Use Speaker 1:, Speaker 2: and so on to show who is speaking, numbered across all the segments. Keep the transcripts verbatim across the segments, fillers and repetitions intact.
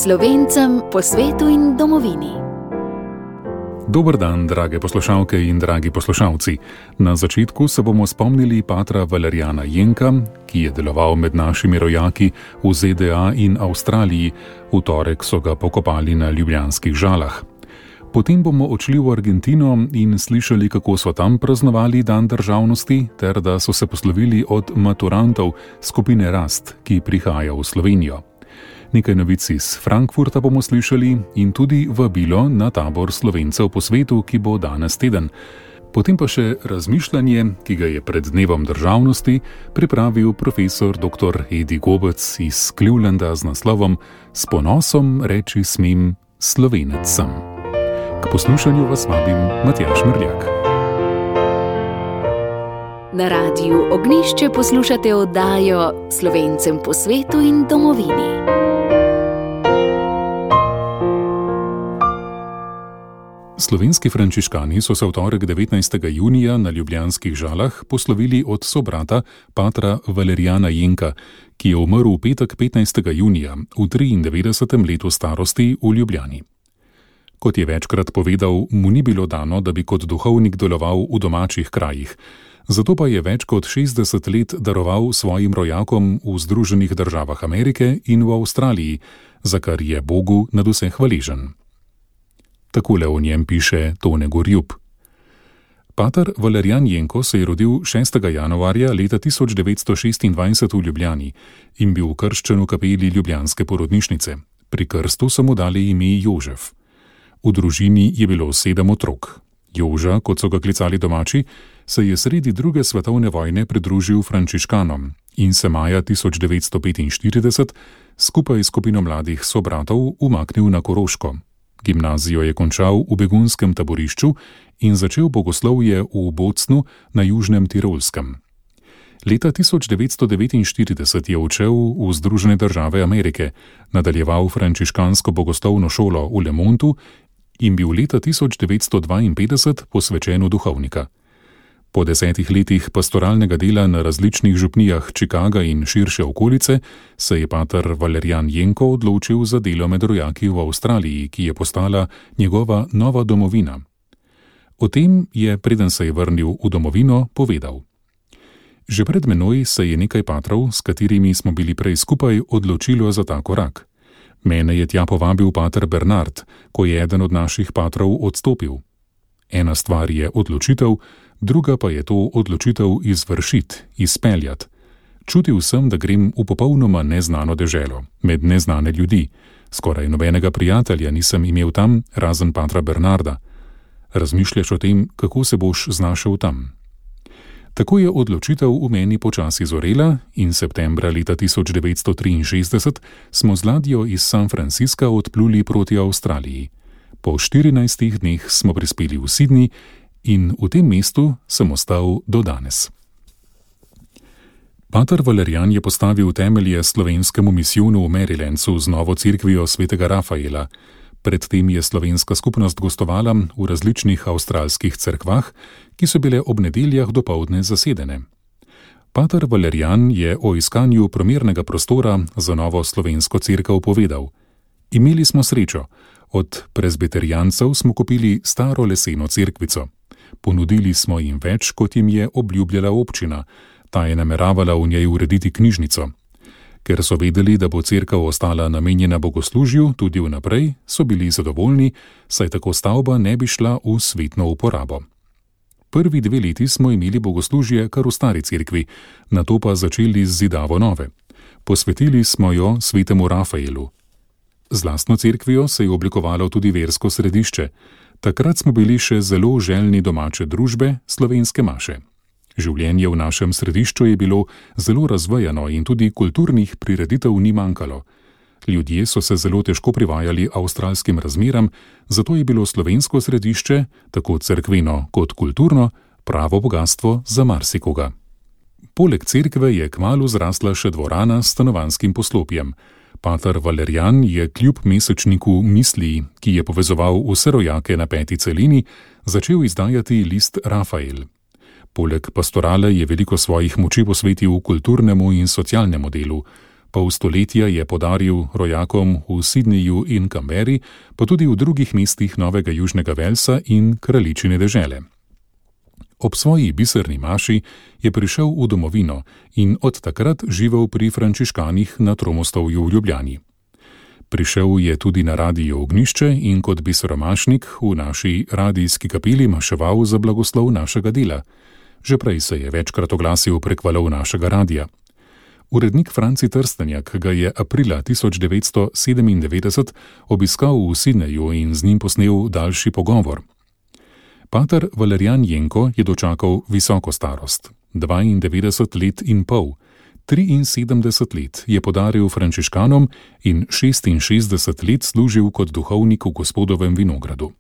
Speaker 1: Slovencem po svetu in domovini.
Speaker 2: Dober dan, drage poslušalke in dragi poslušalci. Na začetku se bomo spomnili patra Valerijana Jenka, ki je deloval med našimi rojaki v Z D A in Avstraliji. V torek so ga pokopali na ljubljanskih Žalah. Potem bomo odšli v Argentino in slišali, kako so tam praznovali dan državnosti, ter da so se poslovili od maturantov skupine Rast, ki prihaja v Slovenijo. Nekaj novic iz Frankfurta bomo slišali in tudi vabilo na tabor Slovencev po svetu, ki bo danes teden. Potem pa še razmišljanje, ki ga je pred dnevom državnosti pripravil profesor doktor Edi Gobec iz Clevelanda z naslovom S ponosom reči smem Slovenec sem. K poslušanju vas vabim Matjaž Mrljak.
Speaker 1: Na Radiu Ognjišče poslušate oddajo Slovencem po svetu in domovini.
Speaker 2: Slovenski frančiškani so se v torek devetnajstega junija na ljubljanskih Žalah poslovili od sobrata patra Valerijana Jenka, ki je umrl v petek petnajstega junija v triindevetdesetem letu starosti v Ljubljani. Kot je večkrat povedal, mu ni bilo dano, da bi kot duhovnik deloval v domačih krajih, zato pa je več kot šestdeset let daroval svojim rojakom v Združenih državah Amerike in v Avstraliji, za kar je Bogu nadvse hvaležen. Takole o njem piše Tone Gorjup. Pater Valerijan Jenko se je rodil šestega januarja leta tisoč devetsto šestindvajset v Ljubljani in bil krščen v kapeli ljubljanske porodnišnice. Pri krstu so mu dali ime Jožef. V družini je bilo sedem otrok. Joža, kot so ga klicali domači, se je sredi druge svetovne vojne pridružil frančiškanom in se maja tisoč devetsto petinštirideset skupaj s skupino mladih sobratov umaknil na Koroško. Gimnazijo je končal v begunskem taborišču in začel bogoslovje v Bocnu na Južnem Tirolskem. Leta tisoč devetsto devetinštirideset je odšel v Združene države Amerike, nadaljeval frančiškansko bogoslovno šolo v Le Montu in bil leta tisoč devetsto dvainpetdeset posvečen v duhovnika. Po desetih letih pastoralnega dela na različnih župnijah Čikaga in širše okolice se je pater Valerijan Jenko odločil za delo med rojaki v Avstraliji, ki je postala njegova nova domovina. O tem je, preden se je vrnil v domovino, povedal. Že pred menoj se je nekaj patrov, s katerimi smo bili prej skupaj, odločilo za ta korak. Mene je tja povabil pater Bernard, ko je eden od naših patrov odstopil. Ena stvar je odločitev, druga pa je to odločitev izvršiti, izpeljati. Čutil sem, da grem v popolnoma neznano deželo, med neznane ljudi. Skoraj nobenega prijatelja nisem imel tam, razen patra Bernarda. Razmišljaš o tem, kako se boš znašel tam. Tako je odločitev v meni počasi zorela in septembra leta tisoč devetsto triinšestdeset smo z ladjo iz San Francisca odpluli proti Avstraliji. Po štirinajstih dneh smo prispeli v Sydney in v tem mestu sem ostal do danes. Pater Valerijan je postavil temelje slovenskemu misijonu v Marylandu z novo cerkvijo svetega Rafaela. Predtem je slovenska skupnost gostovala v različnih avstralskih cerkvah, ki so bile ob nedeljah dopoldne zasedene. Pater Valerijan je o iskanju primernega prostora za novo slovensko cerkev povedal. Imeli smo srečo. Od prezbiterijancev smo kupili staro leseno cerkvico. Ponudili smo jim več, kot jim je obljubljala občina. Ta je nameravala v njej urediti knjižnico. Ker so vedeli, da bo cerkev ostala namenjena bogoslužju tudi vnaprej, so bili zadovoljni, saj tako stavba ne bi šla v svetno uporabo. Prvi dve leti smo imeli bogoslužje kar v stari cerkvi, nato pa začeli z zidavo nove. Posvetili smo jo svetemu Rafaelu. Z lastno cerkvijo se je oblikovalo tudi versko središče. Takrat smo bili še zelo željni domače družbe, slovenske maše. Življenje v našem središču je bilo zelo razvejano in tudi kulturnih prireditev ni manjkalo. Ljudje so se zelo težko privajali avstralskim razmeram, zato je bilo slovensko središče, tako cerkveno kot kulturno, pravo bogastvo za marsikoga. Poleg cerkve je kmalu zrasla še dvorana s stanovanjskim poslopjem. Pater Valerijan je kljub mesečniku Misli, ki je povezoval vse rojake na peti celini, začel izdajati list Rafael. Poleg pastorale je veliko svojih moči posvetil kulturnemu in socialnemu delu. Pol stoletja je podaril rojakom v Sydneyju in Canberri, pa tudi v drugih mestih Novega Južnega Velsa in Kraljičine dežele. Ob svoji biserni maši je prišel v domovino in od takrat živel pri frančiškanih na Tromostovju v Ljubljani. Prišel je tudi na Radio Ognjišče in kot biseromašnik v naši radijski kapeli maševal za blagoslov našega dela. Že prej se je večkrat oglasil prek valov našega radija. Urednik Franci Trstenjak ga je aprila tisoč devetsto sedemindevetdeset obiskal v Sydneyju in z njim posnel daljši pogovor. Pater Valerijan Jenko je dočakal visoko starost, dvaindevetdeset let in pol, triinsedemdeset let je podaril frančiškanom in šestinšestdeset let služil kot duhovnik v Gospodovem vinogradu.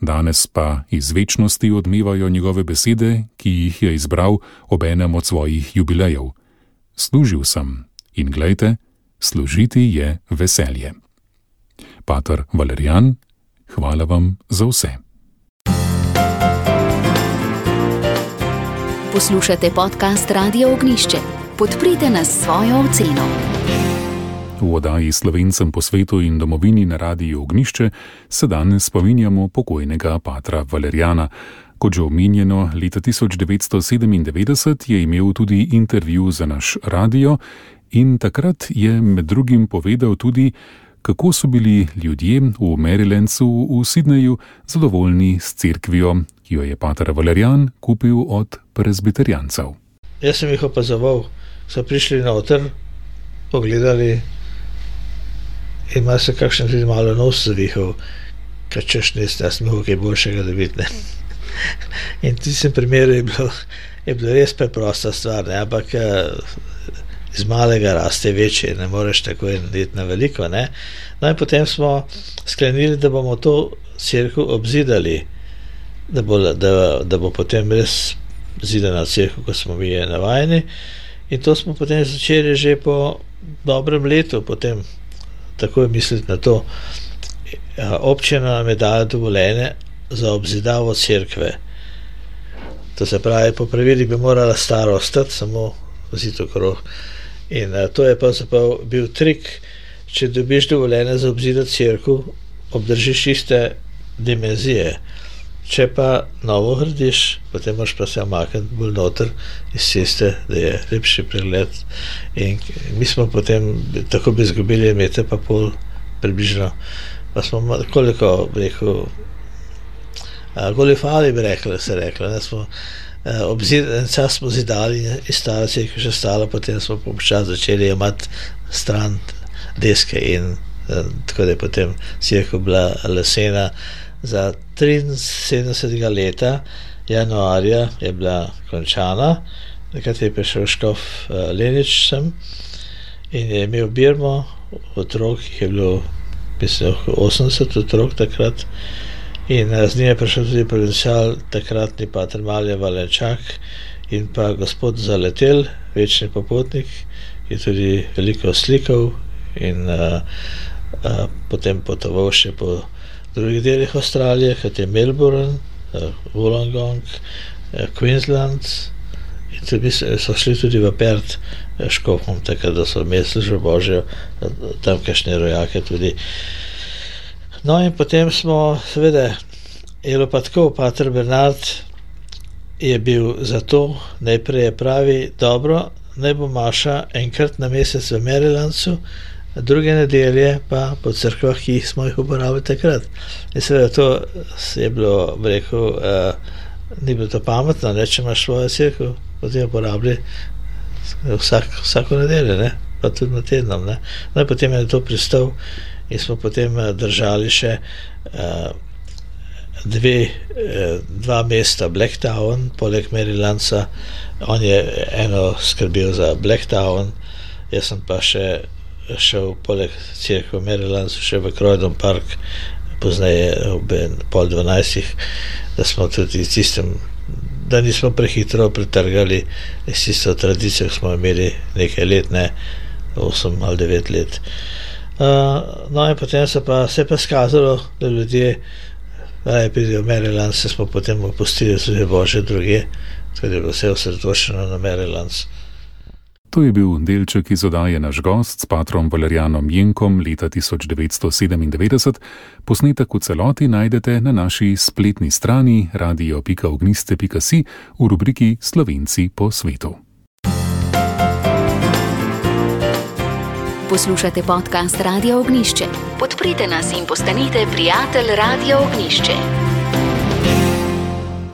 Speaker 2: Danes pa iz večnosti odmevajo njegove besede, ki jih je izbral ob enem od svojih jubilejev. Služil sem in glejte, služiti je veselje. Pater Valerijan, hvala vam za vse.
Speaker 1: Poslušate podcast Radio Ognjišče. Podprite nas s svojo oceno.
Speaker 2: V oddaji Slovencem po svetu in domovini na Radiu Ognjišče se danes spominjamo pokojnega patra Valerijana. Kot že omenjeno, leta tisoč devetsto sedemindevetdeset je imel tudi intervju za naš radio in takrat je med drugim povedal tudi, kako so bili ljudje v Marylandsu v Sydneyju zadovoljni s cerkvijo, ki jo je pater Valerijan kupil od prezbiterijancev.
Speaker 3: Jaz sem jih opazoval, so prišli noter, pogledali in ima se kakšen tudi malo nos zavihal, kaj češ nest, jaz sem kaj boljšega da vidne. In v tistem primeru je bilo, je bilo res preprosta stvar, ne? Ampak iz malega raste večje, ne moreš tako iti na veliko. Ne? No in potem smo sklenili, da bomo to cerkev obzidali, da bo, da, da bo potem res zidana cerkev, kot smo mi navajeni. In to smo potem začeli že po dobrem letu, potem takoj misliti na to. Občina nam je dala dovoljenje za obzidavo cerkve. To se pravi, po pravilih bi morala stara ostati, samo zid okrog. In a, to je pravzaprav bil trik, če dobiš dovoljenje za obzidati cerkev, obdržiš iste dimenzije. Če pa novo gradiš, potem moraš pa se omakniti bolj noter iz ceste, da je lepši pregled. In mi smo potem tako bi izgubili meter pa pol približno. Pa smo koliko, bi rekel, goljufali bi rekli, se rekli. Ne, smo, obzid, en čas smo zidali in stara cerkev še stala, potem smo počas začeli imati stran deske in tako da je potem cerkev bila lesena. Za triinsedemdesetega leta, januarja, je bila končana, takrat je prišel škof uh, Lenič sem in je imel birmo otrok, jih je bilo mislim, osemdeset otrok takrat in uh, z njim je prišel tudi provincial, takratni pater Malje Valenčak in pa gospod Zaletel, večni popotnik, ki je tudi veliko slikal in uh, uh, potem potoval še po drugih delih Avstralije, kot je Melbourne, Wollongong, Queensland in tudi so šli tudi v Perth škofom, tako da so imeli službo Božjo, tamkajšnje rojake tudi. No in potem smo, seveda, je pa tako, pater Bernard je bil za to, najprej je pravi, dobro, naj bo maša enkrat na mesec v Marylandsu, druge nedelje pa po cerkvah, ki smo jih uporabili takrat. In seveda to je bilo, bi rekel, uh, ni bilo to pametno, ne, če imaš svojo cerkev, potem jo uporabili vsak, vsako nedeljo, ne, pa tudi na tednom. Ne. No in potem je to pristal in smo potem držali še uh, dve, uh, dva mesta Blacktown, poleg Marylandsa. On je eno skrbel za Blacktown, jaz sem pa še šel poleg cerkve v Marylandsu še v Croydon Park, pozneje ob pol dvanajstih, da smo tudi tistem, da nismo prehitro pretrgali s tisto tradicijo, smo imeli nekaj let, ne, osem ali devet let. Uh, no in potem se pa se pa skazalo, da ljudje raje pridejo v Maryland, se smo potem opustili tudi Bože druge, tako da je bilo vse osredotočeno na Marylands.
Speaker 2: To je bil delček iz oddaje Naš gost s patrom Valerijanom Jenkom leta tisoč devetsto sedemindevetdeset. Posnetek v celoti najdete na naši spletni strani radio pika ogniste pika si v rubriki Slovenci po svetu.
Speaker 1: Poslušate podcast Radia Ognišče. Podprite nas in postanite prijatelj Radia Ognišče.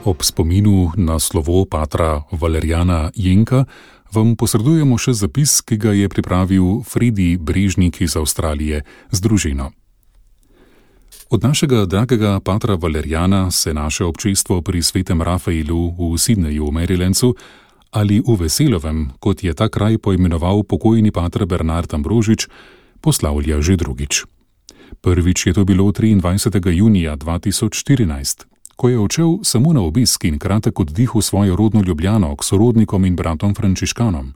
Speaker 2: Ob spominu na slovo patra Valerijana Jenka vam posredujemo še zapis, ki ga je pripravil Fredi Brežnik iz Avstralije z družino. Od našega dragega patra Valerijana se naše občestvo pri svetem Rafaelu v Sydneyju v Marylandu ali v Veselovem, kot je ta kraj poimenoval pokojni pater Bernard Ambrožič, poslavlja že drugič. Prvič je to bilo triindvajsetega junija dva tisoč štirinajst. Ko je odšel samo na obisk in kratek oddih v svojo rodno Ljubljano k sorodnikom in bratom frančiškanom.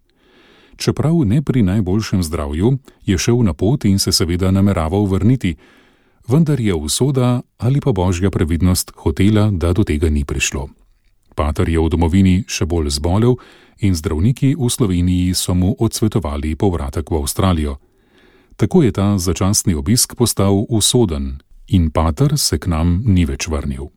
Speaker 2: Čeprav ne pri najboljšem zdravju, je šel na pot in se seveda nameraval vrniti, vendar je usoda ali pa božja previdnost hotela, da do tega ni prišlo. Pater je v domovini še bolj zbolel in zdravniki v Sloveniji so mu odsvetovali povratek v Avstralijo. Tako je ta začasni obisk postal usoden in pater se k nam ni več vrnil.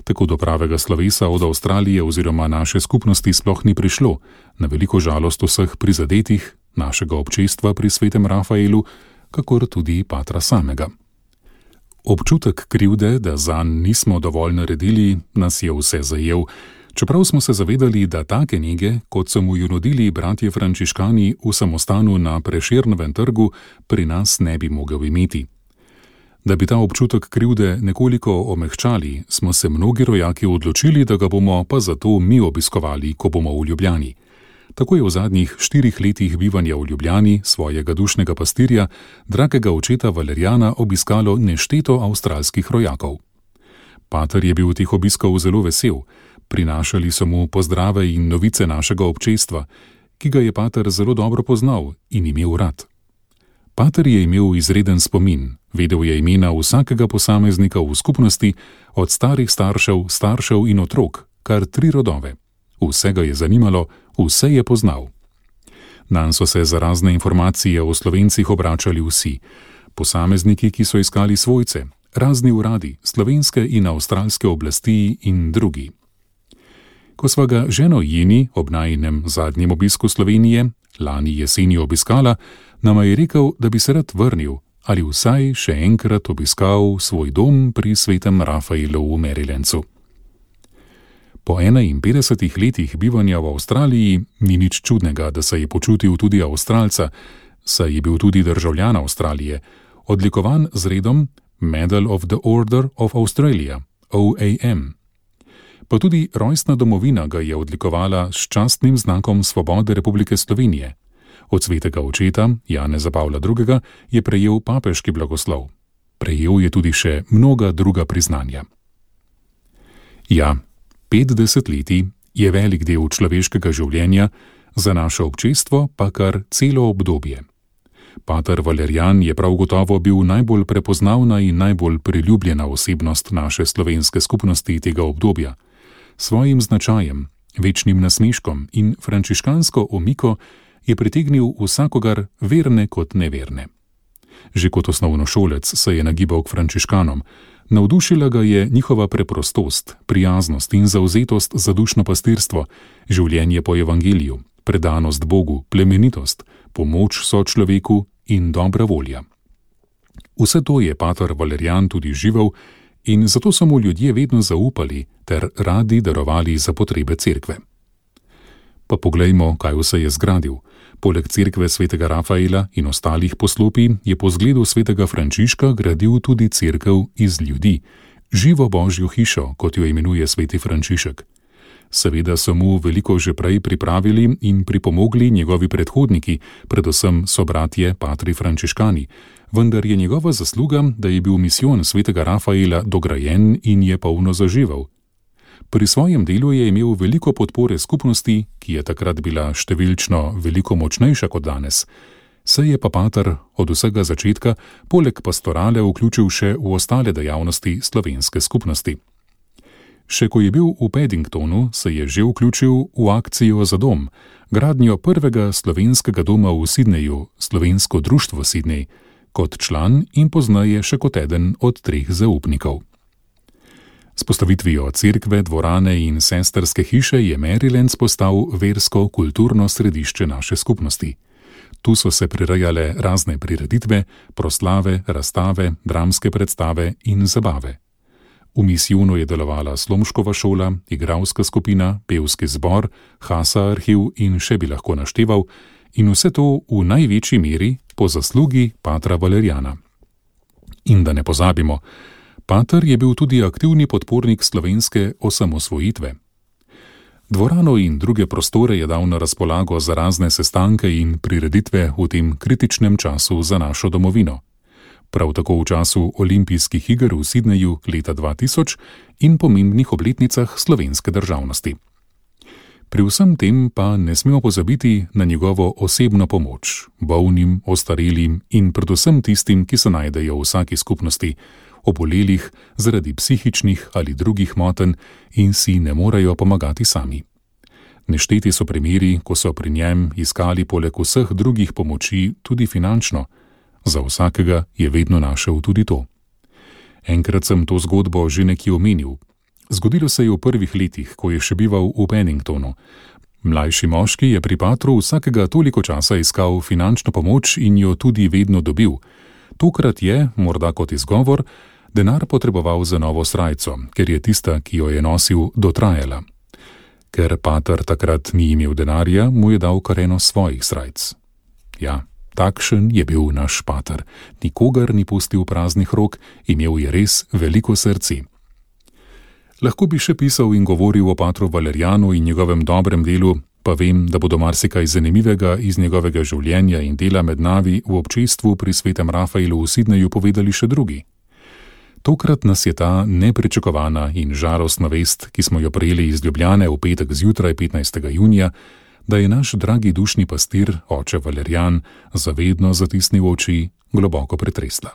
Speaker 2: Tako do pravega slovesa od Avstralije oziroma naše skupnosti sploh ni prišlo, na veliko žalost vseh prizadetih, našega občestva pri svetem Rafaelu, kakor tudi patra samega. Občutek krivde, da zanj nismo dovolj naredili, nas je vse zajel, čeprav smo se zavedali, da take nege, kot so mu jo nudili bratje frančiškani v samostanu na Prešernovem trgu, pri nas ne bi mogel imeti. Da bi ta občutek krivde nekoliko omehčali, smo se mnogi rojaki odločili, da ga bomo pa zato mi obiskovali, ko bomo v Ljubljani. Tako je v zadnjih štirih letih bivanja v Ljubljani svojega dušnega pastirja, dragega očeta Valerijana, obiskalo nešteto avstralskih rojakov. Pater je bil teh obiskov zelo vesel, prinašali so mu pozdrave in novice našega občestva, ki ga je pater zelo dobro poznal in imel rad. Pater je imel izreden spomin, vedel je imena vsakega posameznika v skupnosti, od starih staršev, staršev in otrok, kar tri rodove. Vse ga je zanimalo, vse je poznal. Nanj so se za razne informacije o Slovencih obračali vsi, posamezniki, ki so iskali svojce, razni uradi, slovenske in avstralske oblasti in drugi. Ko sva ga ženo Jeni ob najinem zadnjem obisku Slovenije, lani jeseni obiskala, nama je rekel, da bi se rad vrnil ali vsaj še enkrat obiskal svoj dom pri svetem Rafaelu v Marylandu. Po enainpetdesetih letih bivanja v Avstraliji ni nič čudnega, da se je počutil tudi Avstralca, saj je bil tudi državljan Avstralije, odlikovan z redom Medal of the Order of Australia, O A M. Pa tudi rojstna domovina ga je odlikovala s častnim znakom Svobode Republike Slovenije. Od svetega očeta, Janeza Pavla drugega, je prejel papeški blagoslov. Prejel je tudi še mnoga druga priznanja. Ja, petdeset letij je velik del človeškega življenja, za naše občestvo pa kar celo obdobje. Pater Valerijan je prav gotovo bil najbolj prepoznavna in najbolj priljubljena osebnost naše slovenske skupnosti tega obdobja. Svojim značajem, večnim nasmeškom in frančiškansko omiko je pritegnil vsakogar, verne kot neverne. Že kot osnovnošolec se je nagibal k frančiškanom, navdušila ga je njihova preprostost, prijaznost in zavzetost za dušno pastirstvo, življenje po evangeliju, predanost Bogu, plemenitost, pomoč sočloveku in dobra volja. Vse to je pater Valerijan tudi živel in zato so mu ljudje vedno zaupali ter radi darovali za potrebe cerkve. Pa poglejmo, kaj vse je zgradil. Poleg cerkve svetega Rafaela in ostalih poslopij je po zgledu svetega Frančiška gradil tudi cerkev iz ljudi, živo božjo hišo, kot jo imenuje sveti Frančišek. Seveda so mu veliko že prej pripravili in pripomogli njegovi predhodniki, predvsem sobratje patri frančiškani, vendar je njegova zasluga, da je bil misijon svetega Rafaela dograjen in je polno zaživel. Pri svojem delu je imel veliko podpore skupnosti, ki je takrat bila številčno veliko močnejša kot danes. Se je pa pater od vsega začetka poleg pastorale vključil še v ostale dejavnosti slovenske skupnosti. Še ko je bil v Paddingtonu, se je že vključil v akcijo za dom, gradnjo prvega slovenskega doma v Sydneyju, Slovensko društvo Sydney, kot član in pozneje še kot eden od treh zaupnikov. S postavitvijo cerkve, dvorane in sestrske hiše je Marylands postal versko-kulturno središče naše skupnosti. Tu so se prirejale razne prireditve, proslave, razstave, dramske predstave in zabave. V misijonu je delovala slomškova šola, igralska skupina, pevski zbor, Hasa arhiv in še bi lahko našteval, in vse to v največji meri po zaslugi patra Valeriana. In da ne pozabimo, pater je bil tudi aktivni podpornik slovenske osamosvojitve. Dvorano in druge prostore je dal na razpolago za razne sestanke in prireditve v tem kritičnem času za našo domovino. Prav tako v času olimpijskih iger v Sydneyju leta dva tisoč in pomembnih obletnicah slovenske državnosti. Pri vsem tem pa ne smemo pozabiti na njegovo osebno pomoč, bolnim, ostarelim in predvsem tistim, ki se najdejo v vsaki skupnosti, obolelih zaradi psihičnih ali drugih motenj in si ne morejo pomagati sami. Nešteti so primeri, ko so pri njem iskali poleg vseh drugih pomoči tudi finančno. Za vsakega je vedno našel tudi to. Enkrat sem to zgodbo že nekje omenil. Zgodilo se je v prvih letih, ko je še bival v Paddingtonu. Mlajši moški je pri patru vsakega toliko časa iskal finančno pomoč in jo tudi vedno dobil. Tokrat je, morda kot izgovor, denar potreboval za novo srajco, ker je tista, ki jo je nosil, dotrajala. Ker pater takrat ni imel denarja, mu je dal kar eno svojih srajc. Ja, takšen je bil naš pater. Nikogar ni pustil praznih rok, imel je res veliko srce. Lahko bi še pisal in govoril o patru Valerianu in njegovem dobrem delu, pa vem, da bodo marsikaj zanimivega iz njegovega življenja in dela med nami v občestvu pri svetem Rafaelu v Sydneyju povedali še drugi. Tokrat nas je ta nepričakovana in žalostna vest, ki smo jo prejeli iz Ljubljane v petek zjutraj petnajstega junija, da je naš dragi dušni pastir, oče Valerian, zavedno zatisnil oči, globoko pretresla.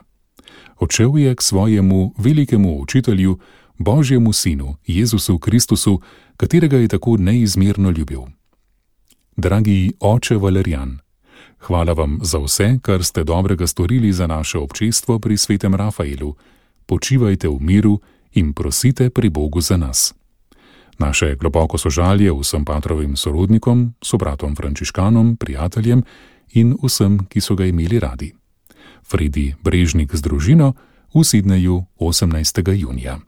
Speaker 2: Odšel je k svojemu velikemu učitelju, Božjemu sinu, Jezusu Kristusu, katerega je tako neizmerno ljubil. Dragi oče Valerian, hvala vam za vse, kar ste dobrega storili za naše občestvo pri svetem Rafaelu. Počivajte v miru in prosite pri Bogu za nas. Naše globoko sožalje vsem patrovim sorodnikom, sobratom frančiškanom, prijateljem in vsem, ki so ga imeli radi. Fredi Brežnik z družino v Sydneyju osemnajstega junija.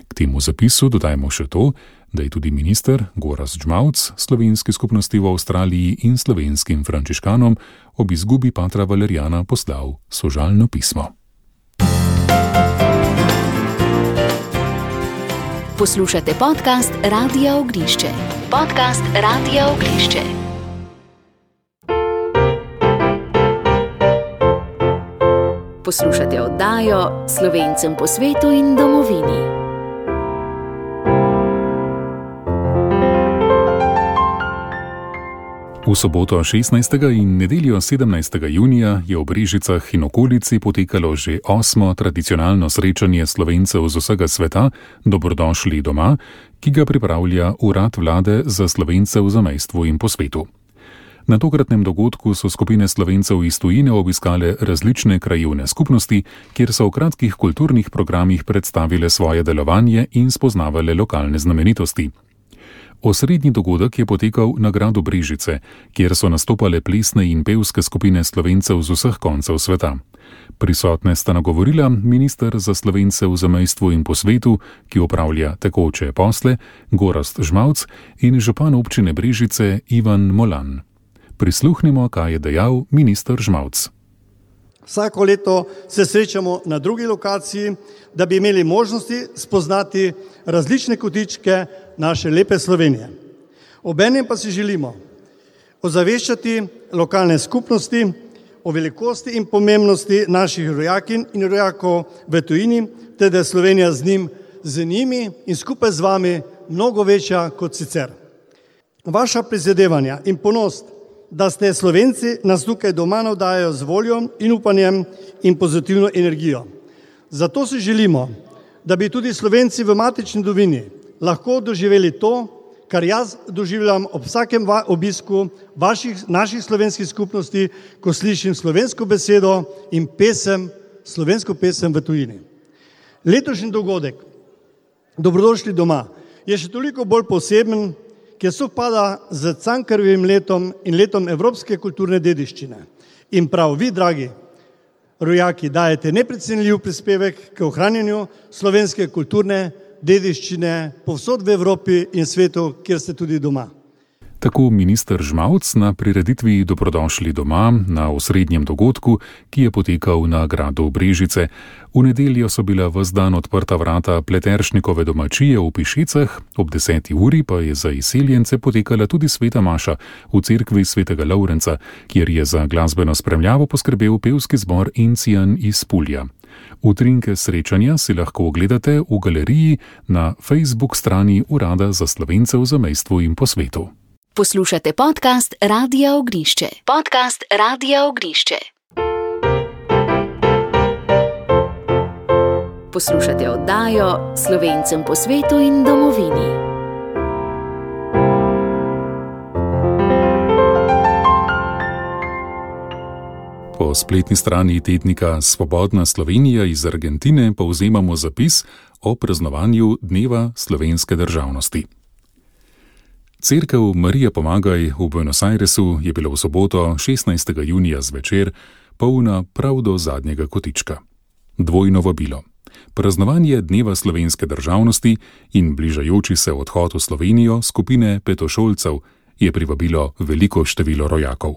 Speaker 2: K temu zapisu dodajmo še to, da je tudi minister Gorazd Žmauc slovenski skupnosti v Avstraliji in slovenskim frančiškanom ob izgubi patra Valeriana poslal sožalno pismo.
Speaker 1: Poslušate podcast Radia Ognišče. Podcast Radia Ognišče. Poslušate oddajo Slovencem po svetu in domovini.
Speaker 2: V soboto šestnajstega in nedeljo sedemnajstega junija je v Brežicah in okolici potekalo že osmo tradicionalno srečanje Slovencev z vsega sveta Dobrodošli doma, ki ga pripravlja Urad vlade za Slovence v zamejstvu in po svetu. Na tokratnem dogodku so skupine Slovencev iz tujine obiskale različne krajevne skupnosti, kjer so v kratkih kulturnih programih predstavile svoje delovanje in spoznavale lokalne znamenitosti. Osrednji dogodek je potekal na gradu Brežice, kjer so nastopale plesne in pevske skupine Slovencev z vseh koncev sveta. Prisotne sta nagovorila minister za Slovence v zamejstvu in po svetu, ki opravlja tekoče posle, Gorazd Žmauc, in župan občine Brežice Ivan Molan. Prisluhnimo, kaj je dejal minister Žmauc.
Speaker 4: Vsako leto se srečamo na drugi lokaciji, da bi imeli možnosti spoznati različne kotičke naše lepe Slovenije. Obenem pa si želimo ozaveščati lokalne skupnosti o velikosti in pomembnosti naših rojakinj in rojakov v tujini, te da je Slovenija z njim, z njimi in skupaj z vami mnogo večja kot sicer. Vaša prizadevanja in ponos, da ste Slovenci, nas tukaj doma navdajajo z voljo in upanjem in pozitivno energijo. Zato si želimo, da bi tudi Slovenci v matični domovini lahko doživeli to, kar jaz doživljam ob vsakem obisku vaših, naših slovenskih skupnosti, ko slišim slovensko besedo in pesem, slovensko pesem v tujini. Letošnji dogodek, Dobrodošli doma, je še toliko bolj poseben, ker sovpada z Cankarjevim letom in letom evropske kulturne dediščine. In prav vi, dragi rojaki, dajete neprecenljiv prispevek k ohranjanju slovenske kulturne dediščine povsod v Evropi in svetu, kjer ste tudi doma.
Speaker 2: Tako minister Žmavc na prireditvi Dobrodošli doma na osrednjem dogodku, ki je potekal na gradu Brežice. V nedeljo so bila ves dan odprta vrata Pleteršnikove domačije v Pišecah, ob deseti uri pa je za izseljence potekala tudi sveta maša v cerkvi svetega Lovrenca, kjer je za glasbeno spremljavo poskrbel pevski zbor Encijan iz Pulja. Utrinke srečanja si lahko ogledate v galeriji na Facebook strani Urada za Slovence v zamejstvu in po svetu.
Speaker 1: Poslušate podcast Radia Ognišče. Podcast Radia Ognišče. Poslušate oddajo Slovencem po svetu in domovini.
Speaker 2: Po spletni strani tednika Svobodna Slovenija iz Argentine povzemamo zapis o praznovanju Dneva slovenske državnosti. Cerkev Marija Pomagaj v Buenos Airesu je bila v soboto šestnajstega junija zvečer polna prav do zadnjega kotička. Dvojno vabilo. Praznovanje Dneva slovenske državnosti in bližajoči se odhod v Slovenijo skupine petošolcev je privabilo veliko število rojakov.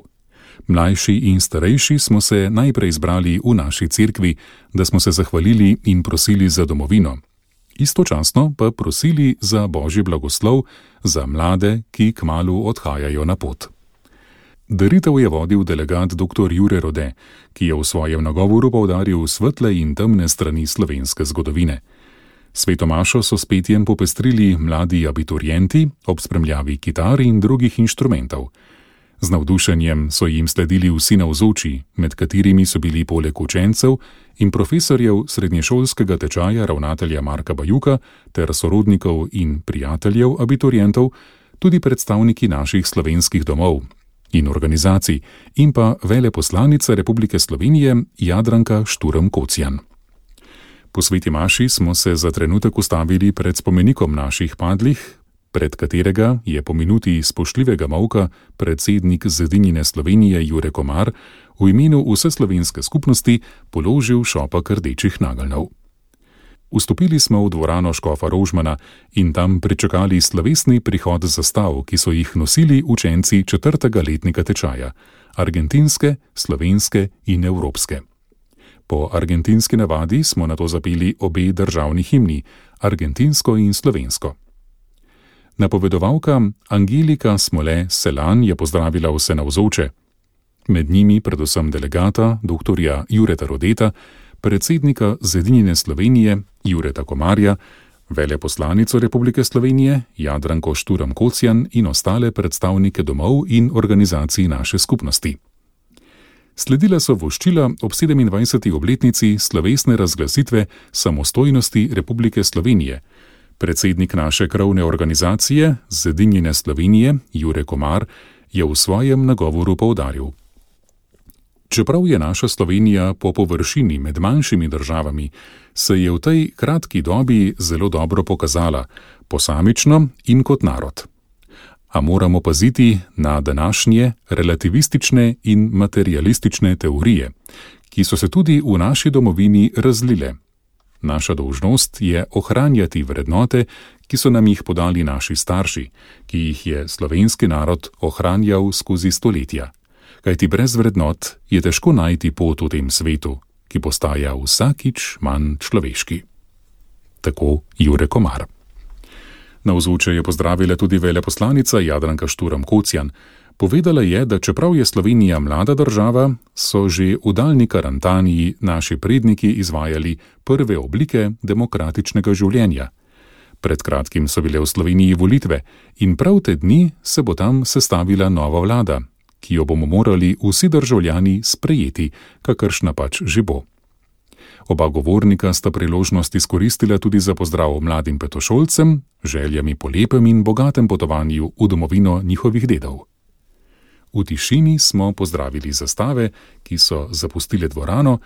Speaker 2: Mlajši in starejši smo se najprej zbrali v naši cerkvi, da smo se zahvalili in prosili za domovino. Istočasno pa prosili za božji blagoslov za mlade, ki kmalu odhajajo na pot. Daritev je vodil delegat dr. Jure Rode, ki je v svojem nagovoru poudaril svetle in temne strani slovenske zgodovine. Sveto mašo so s petjem popestrili mladi abiturienti ob spremljavi kitar in drugih inštrumentov. Z navdušenjem so jim sledili vsi navzoči, med katerimi so bili poleg učencev in profesorjev srednješolskega tečaja ravnatelja Marka Bajuka ter sorodnikov in prijateljev abiturientov tudi predstavniki naših slovenskih domov in organizacij in pa veleposlanica Republike Slovenije Jadranka Šturm Kocjan. Po sveti maši smo se za trenutek ustavili pred spomenikom naših padlih, pred katerega je po minuti spoštljivega molka predsednik Zedinjene Slovenije Jure Komar v imenu vse slovenske skupnosti položil šopek rdečih nageljnov. Vstopili smo v dvorano škofa Rožmana in tam pričakali slovesni prihod zastav, ki so jih nosili učenci četrtega letnika tečaja, argentinske, slovenske in evropske. Po argentinski navadi smo nato zapeli obe državni himni, argentinsko in slovensko. Napovedovalka Angelika Smole Selan je pozdravila vse navzoče. Med njimi predvsem delegata dr. Jureta Rodeta, predsednika Zedinjene Slovenije Jureta Komarja, veleposlanico Republike Slovenije Jadranko Šturm Kocjan in ostale predstavnike domov in organizacij naše skupnosti. Sledila so voščila ob sedemindvajseti obletnici slovesne razglasitve samostojnosti Republike Slovenije. Predsednik naše krovne organizacije Zedinjene Slovenije Jure Komar je v svojem nagovoru poudaril: čeprav je naša Slovenija po površini med manjšimi državami, se je v tej kratki dobi zelo dobro pokazala, posamično in kot narod. A moramo paziti na današnje relativistične in materialistične teorije, ki so se tudi v naši domovini razlile. Naša dolžnost je ohranjati vrednote, ki so nam jih podali naši starši, ki jih je slovenski narod ohranjal skozi stoletja. Kajti brez vrednot je težko najti pot v tem svetu, ki postaja vsakič manj človeški. Tako Jure Komar. Navzoče je pozdravila tudi veleposlanica Jadranka Šturm Kocjan. Povedala je, da čeprav je Slovenija mlada država, so že v daljni Karantaniji naši predniki izvajali prve oblike demokratičnega življenja. Pred kratkim so bile v Sloveniji volitve in prav te dni se bo tam sestavila nova vlada, ki jo bomo morali vsi državljani sprejeti, kakršna pač že bo. Oba govornika sta priložnost izkoristila tudi za pozdrav mladim petošolcem, željami po lepem in bogatem potovanju v domovino njihovih dedov. V tišini smo pozdravili zastave, ki so zapustile dvorano,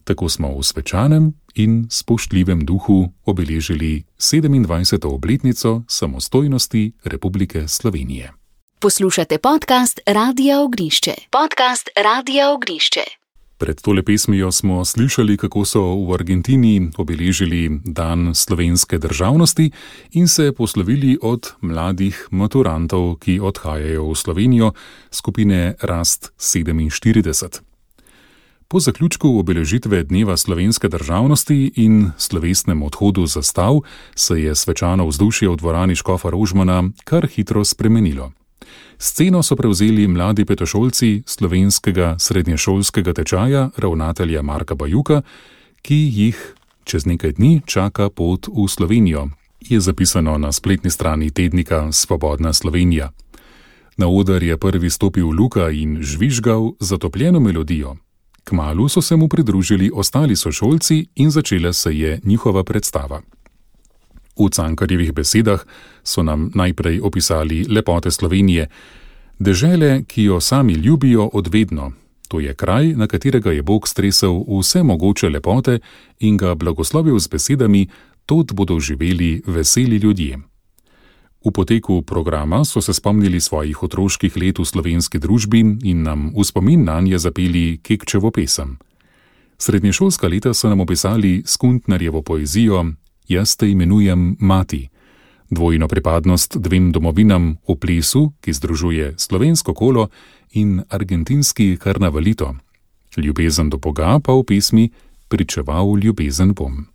Speaker 2: tako smo v svečanem in spoštljivem duhu obeležili sedemindvajseto obletnico samostojnosti Republike Slovenije.
Speaker 1: Poslušate podcast Radia Ognišče. Podcast Radia Ognišče.
Speaker 2: Pred tole pesmijo smo slišali, kako so v Argentini obeležili dan slovenske državnosti in se poslovili od mladih maturantov, ki odhajajo v Slovenijo, skupine Rast sedeminštirideset. Po zaključku obeležitve Dneva slovenske državnosti in slovesnem odhodu zastav se je svečano vzdušje v dvorani Škofa Rožmana kar hitro spremenilo. Sceno so prevzeli mladi petošolci slovenskega srednješolskega tečaja ravnatelja Marka Bajuka, ki jih čez nekaj dni čaka pot v Slovenijo, je zapisano na spletni strani tednika Svobodna Slovenija. Na oder je prvi stopil Luka in žvižgal zatopljeno melodijo. Kmalu so se mu pridružili ostali sošolci in začela se je njihova predstava. V Cankarjevih besedah so nam najprej opisali lepote Slovenije, dežele, ki jo sami ljubijo odvedno. To je kraj, na katerega je Bog stresel vse mogoče lepote in ga blagoslovil z besedami, tod bodo živeli veseli ljudje. V poteku programa so se spomnili svojih otroških let v slovenski družbi in nam v spomin nanje zapeli Kekčevo pesem. Srednješolska leta so nam opisali Skuntnerjevo poezijo Jaz te imenujem Mati, dvojno pripadnost dvem domovinam v plesu, ki združuje slovensko kolo in argentinski karnavalito. Ljubezen do Boga pa v pesmi Pričeval ljubezen bom.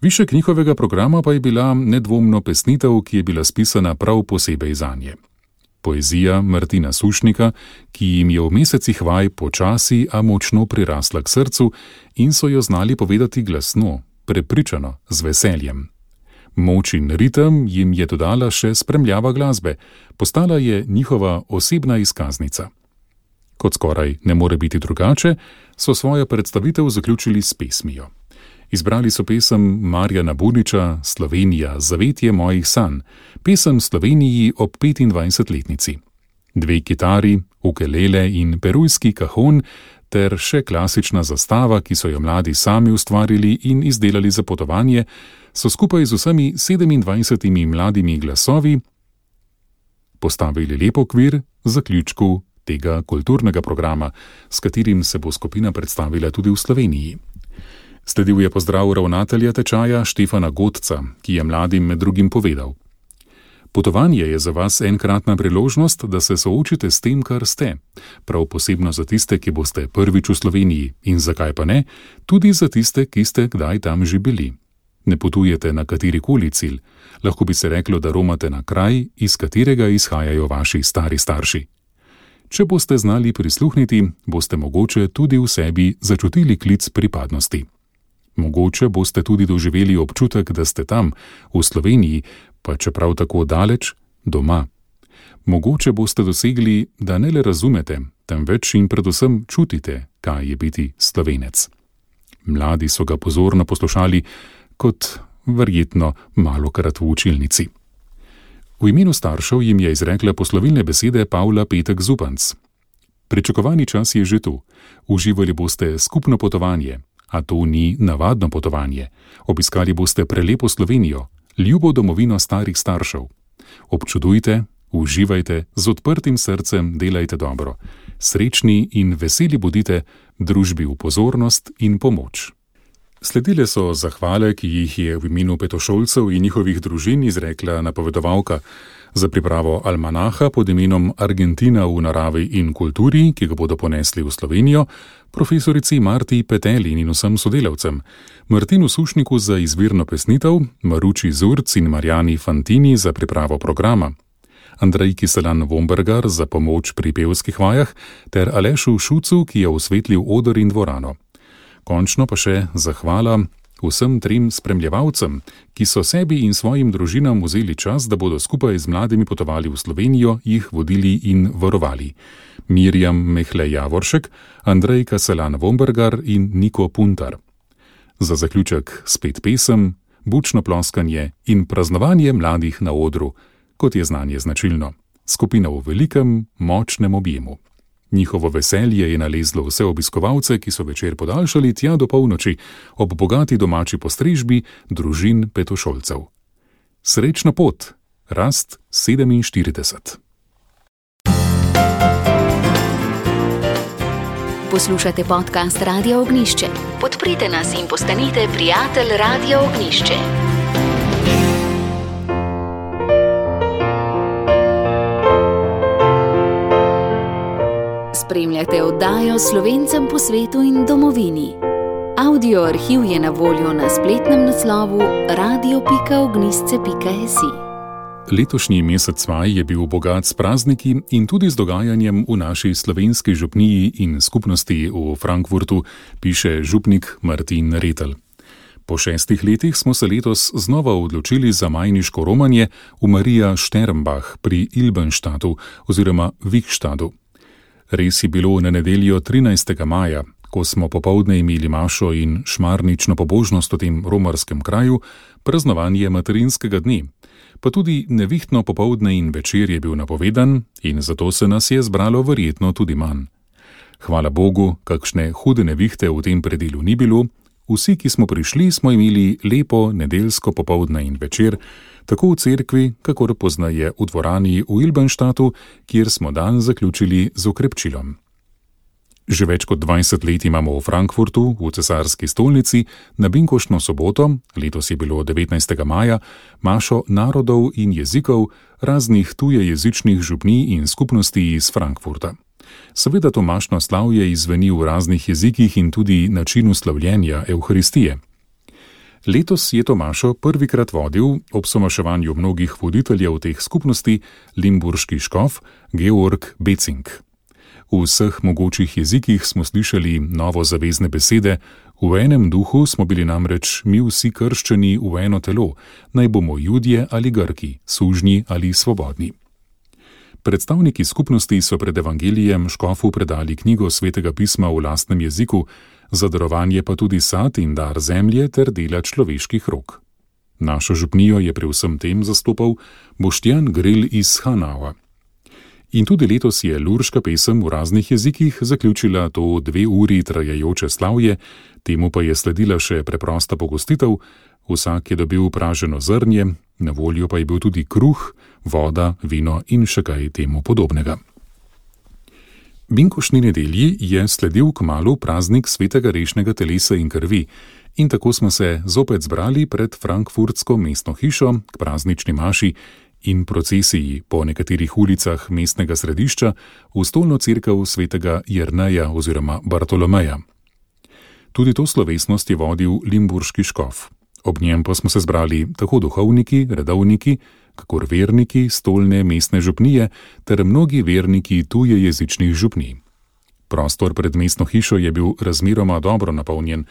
Speaker 2: Višek njihovega programa pa je bila nedvomno pesnitev, ki je bila spisana prav posebej zanje. Poezija Martina Sušnika, ki jim je v mesecih vaj počasi, a močno prirasla k srcu in so jo znali povedati glasno, prepričano, z veseljem. Moč in ritem jim je dodala še spremljava glasbe, postala je njihova osebna izkaznica. Kot skoraj ne more biti drugače, so svojo predstavitev zaključili s pesmijo. Izbrali so pesem Marjana Buniča Slovenija, zavetje mojih sanj, pesem Sloveniji ob petindvajsetletnici. Dve kitari, ukelele in perujski kahon ter še klasična zastava, ki so jo mladi sami ustvarili in izdelali za potovanje, so skupaj z vsemi sedemindvajsetimi mladimi glasovi postavili lep okvir zaključku tega kulturnega programa, s katerim se bo skupina predstavila tudi v Sloveniji. Sledil je pozdrav ravnatelja tečaja Štefana Godca, ki je mladim med drugim povedal: Potovanje je za vas enkratna priložnost, da se soočite s tem, kar ste, prav posebno za tiste, ki boste prvič v Sloveniji in zakaj pa ne, tudi za tiste, ki ste kdaj tam že bili. Ne potujete na katerikoli cilj, lahko bi se reklo, da romate na kraj, iz katerega izhajajo vaši stari starši. Če boste znali prisluhniti, boste mogoče tudi v sebi začutili klic pripadnosti. Mogoče boste tudi doživeli občutek, da ste tam, v Sloveniji, pa čeprav tako daleč, doma. Mogoče boste dosegli, da ne le razumete, temveč in predvsem čutite, kaj je biti Slovenec. Mladi so ga pozorno poslušali, kot verjetno malokrat v učilnici. V imenu staršev jim je izrekla poslovilne besede Pavla Petek Zupanc. Pričakovani čas je že tu. Uživali boste skupno potovanje, a to ni navadno potovanje. Obiskali boste prelepo Slovenijo, ljubo domovino starih staršev. Občudujte, uživajte, z odprtim srcem delajte dobro. Srečni in veseli bodite, družbi v pozornost in pomoč. Sledile so zahvale, ki jih je v imenu petošolcev in njihovih družin izrekla napovedovalka za pripravo almanaha pod imenom Argentina v naravi in kulturi, ki ga bodo ponesli v Slovenijo, profesorici Marti Petelin in vsem sodelavcem, Martinu Sušniku za izvirno pesnitev, Maruči Zurc in Marjani Fantini za pripravo programa, Andrejki Selan-Vombergar za pomoč pri pevskih vajah ter Alešu Šucu, ki je osvetlil oder in dvorano. Končno pa še zahvala vsem trem spremljevalcem, ki so sebi in svojim družinam vzeli čas, da bodo skupaj z mladimi potovali v Slovenijo, jih vodili in varovali. Mirjam Mehle Javoršek, Andrejka Selan-Vombergar in Niko Puntar. Za zaključek spet pesem, bučno ploskanje in praznovanje mladih na odru, kot je znanje značilno. Skupina v velikem, močnem objemu. Njihovo veselje je nalezlo vse obiskovalce, ki so večer podaljšali tja do polnoči ob bogati domači postrežbi družin petošolcev. Srečna pot, Rast sedeminštirideset.
Speaker 1: Poslušate podcast Radia Ognjišče. Podprite nas in postanite prijatelj Radia Ognjišče. Spremljate oddajo Slovencem po svetu in domovini. Audio arhiv je na voljo na spletnem naslovu radio pika ognjišče pika es i.
Speaker 2: Letošnji mesec maj je bil bogat s prazniki in tudi z dogajanjem v naši slovenski župniji in skupnosti v Frankfurtu, piše župnik Martin Retelj. Po šestih letih smo se letos znova odločili za majniško romanje v Marija Šternbach pri Ilbenštatu oziroma Vikštadu. Res je bilo na nedeljo trinajstega maja, ko smo popoldne imeli mašo in šmarnično pobožnost v tem romarskem kraju, praznovanje materinskega dne. Pa tudi nevihtno popoldne in večer je bil napovedan in zato se nas je zbralo verjetno tudi manj. Hvala Bogu, kakšne hude nevihte v tem predelu ni bilo, vsi, ki smo prišli, smo imeli lepo nedeljsko popoldne in večer, tako v cerkvi, kakor poznaje v dvorani v Ilbenštatu, kjer smo dan zaključili z okrepčilom. Že več kot dvajset let imamo v Frankfurtu, v cesarski stolnici, na binkoštno soboto, letos je bilo devetnajstega maja, mašo narodov in jezikov raznih tujejezičnih župnij in skupnosti iz Frankfurta. Seveda to mašno slavje izveni v raznih jezikih in tudi načinu slavljenja Evharistije. Letos je to mašo prvikrat vodil ob somaševanju mnogih voditeljev teh skupnosti limburški škof Georg Becing. V vseh mogočih jezikih smo slišali novo zavezne besede, v enem duhu smo bili namreč mi vsi krščeni v eno telo, naj bomo Judje ali Grki, sužnji ali svobodni. Predstavniki skupnosti so pred evangelijem škofu predali knjigo svetega pisma v lastnem jeziku, za darovanje pa tudi sad in dar zemlje ter dela človeških rok. Našo župnijo je pri vsem tem zastopal Boštjan Gril iz Hanauja. In tudi letos je lurška pesem v raznih jezikih zaključila to dve uri trajajoče slavje, temu pa je sledila še preprosta pogostitev, vsak je dobil praženo zrnje, na voljo pa je bil tudi kruh, voda, vino in še kaj temu podobnega. Binkoštni nedelji je sledil kmalu praznik svetega rešnega telesa in krvi in tako smo se zopet zbrali pred frankfurtsko mestno hišo k praznični maši in procesiji po nekaterih ulicah mestnega središča v stolno cerkev svetega Jerneja oziroma Bartolomeja. Tudi to slovesnost je vodil limburški škof. Ob njem pa smo se zbrali tako duhovniki, redovniki, kakor verniki stolne mestne župnije ter mnogi verniki tujejezičnih župnij. Prostor pred mestno hišo je bil razmeroma dobro napolnjen,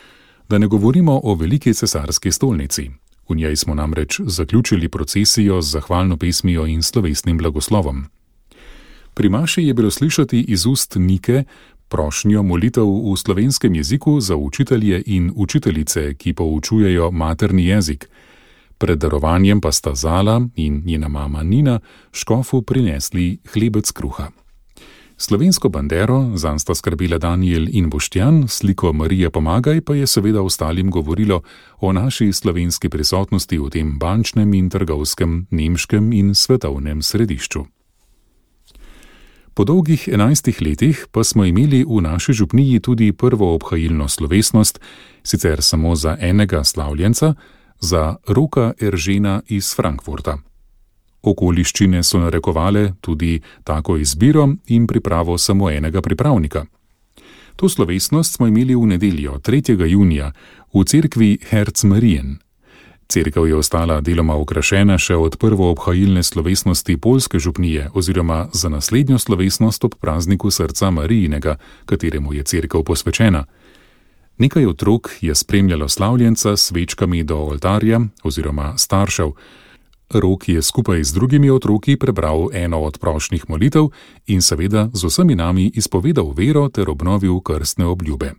Speaker 2: da ne govorimo o veliki cesarski stolnici. V njej smo namreč zaključili procesijo z zahvalno pesmijo in slovesnim blagoslovom. Pri maši je bilo slišati iz ust Nike prošnjo molitev v slovenskem jeziku za učitelje in učiteljice, ki poučujejo materni jezik. Pred darovanjem pa sta Zala in njena mama Nina škofu prinesli hlebec kruha. Slovensko bandero zanj sta skrbela Danijel in Boštjan, sliko Marija pomagaj pa je seveda ostalim govorilo o naši slovenski prisotnosti v tem bančnem in trgovskem, nemškem in svetovnem središču. Po dolgih enajstih letih pa smo imeli v naši župniji tudi prvo obhajilno slovesnost, sicer samo za enega slavljenca, za Roka Eržena iz Frankfurta. Okoliščine so narekovale tudi tako izbiro in pripravo samo enega pripravnika. To slovesnost smo imeli v nedeljo, tretjega junija, v cerkvi Herz Marien. Cerkev je ostala deloma okrašena še od prvo obhajilne slovesnosti poljske župnije oziroma za naslednjo slovesnost ob prazniku srca Marijinega, kateremu je cerkev posvečena. Nekaj otrok je spremljalo slavljenca s svečkami do oltarja oziroma staršev. Rok je skupaj z drugimi otroki prebral eno od prošnjih molitev in seveda z vsemi nami izpovedal vero ter obnovil krstne obljube.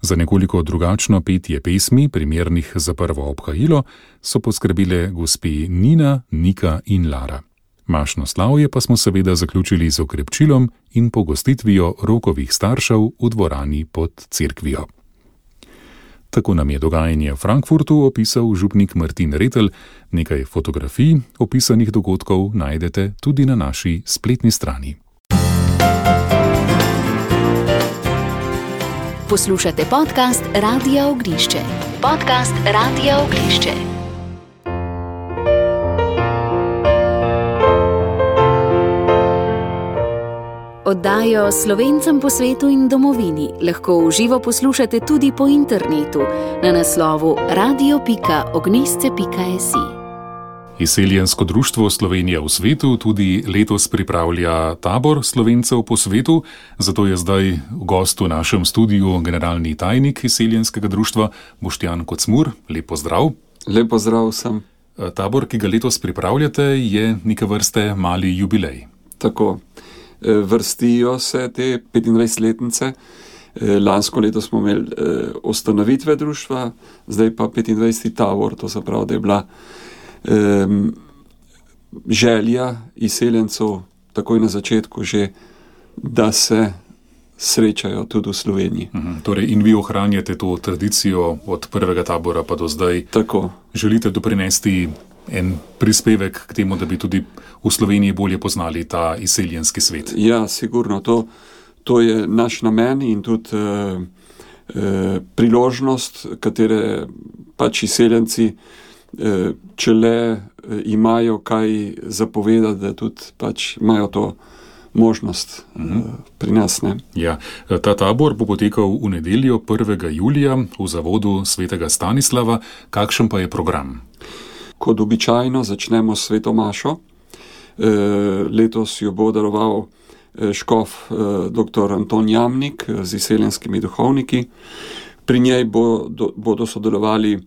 Speaker 2: Za nekoliko drugačno petje pesmi, primernih za prvo obhajilo, so poskrbile gospe Nina, Nika in Lara. Mašno slavje pa smo seveda zaključili z okrepčilom in pogostitvijo Rokovih staršev v dvorani pod cerkvijo. Tako nam je dogajanje v Frankfurtu opisal župnik Martin Retelj. Nekaj fotografij opisanih dogodkov najdete tudi na naši spletni strani.
Speaker 1: Poslušate podcast Radia Ognjišče. Podcast Radia Ognjišče. Oddajo Slovencem po svetu in domovini lahko v živo poslušate tudi po internetu na naslovu radio pika ognjišče pika es i.
Speaker 2: Izseljensko društvo Slovenija v svetu tudi letos pripravlja tabor Slovencev po svetu, zato je zdaj gost v našem studiu generalni tajnik Izseljenskega društva Boštjan Kocmur. Lep pozdrav.
Speaker 5: Lep pozdrav vsem.
Speaker 2: Tabor, ki ga letos pripravljate, je neke vrste mali jubilej.
Speaker 5: Tako. Vrstijo se te petindvajsetletnice. Lansko leto smo imeli ustanovitve društva, zdaj pa petindvajseti tabor, to se pravi, da je bila um, želja izseljencev takoj na začetku že, da se srečajo tudi v Sloveniji.
Speaker 2: Mhm, torej in vi ohranjate to tradicijo od prvega tabora pa do zdaj.
Speaker 5: Tako.
Speaker 2: Želite doprinesti en prispevek k temu, da bi tudi v Sloveniji bolje poznali ta izseljenski svet.
Speaker 5: Ja, sigurno. To, to je naš namen in tudi eh, eh, priložnost, katere pač izseljenci, eh, če le eh, imajo kaj zapovedati, da tudi pač imajo to možnost uh-huh. eh, pri nas. Ne?
Speaker 2: Ja, ta tabor bo potekal v nedeljo prvega julija v zavodu svetega Stanislava. Kakšen pa je program?
Speaker 5: Kot običajno začnemo s sveto mašo. E, letos jo bo daroval škof e, dr. Anton Jamnik z izseljenskimi duhovniki. Pri njej bo, do, bodo sodelovali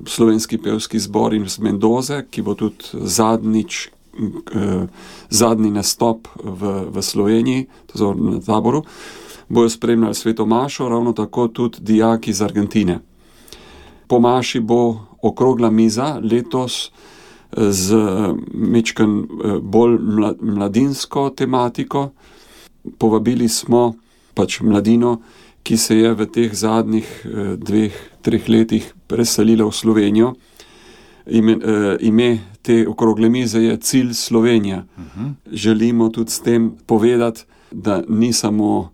Speaker 5: slovenski pevski zbor iz Mendoze, ki bo tudi zadnjič, e, zadnji nastop v, v Sloveniji, to na taboru. Bojo spremljali sveto mašo, ravno tako tudi dijaki iz Argentine. Po maši bo okrogla miza, letos z mečkan bolj mladinsko tematiko. Povabili smo pač mladino, ki se je v teh zadnjih dveh, treh letih preselila v Slovenijo. Ime, ime te okrogle mize je Cilj Slovenija. Uh-huh. Želimo tudi s tem povedati, da ni samo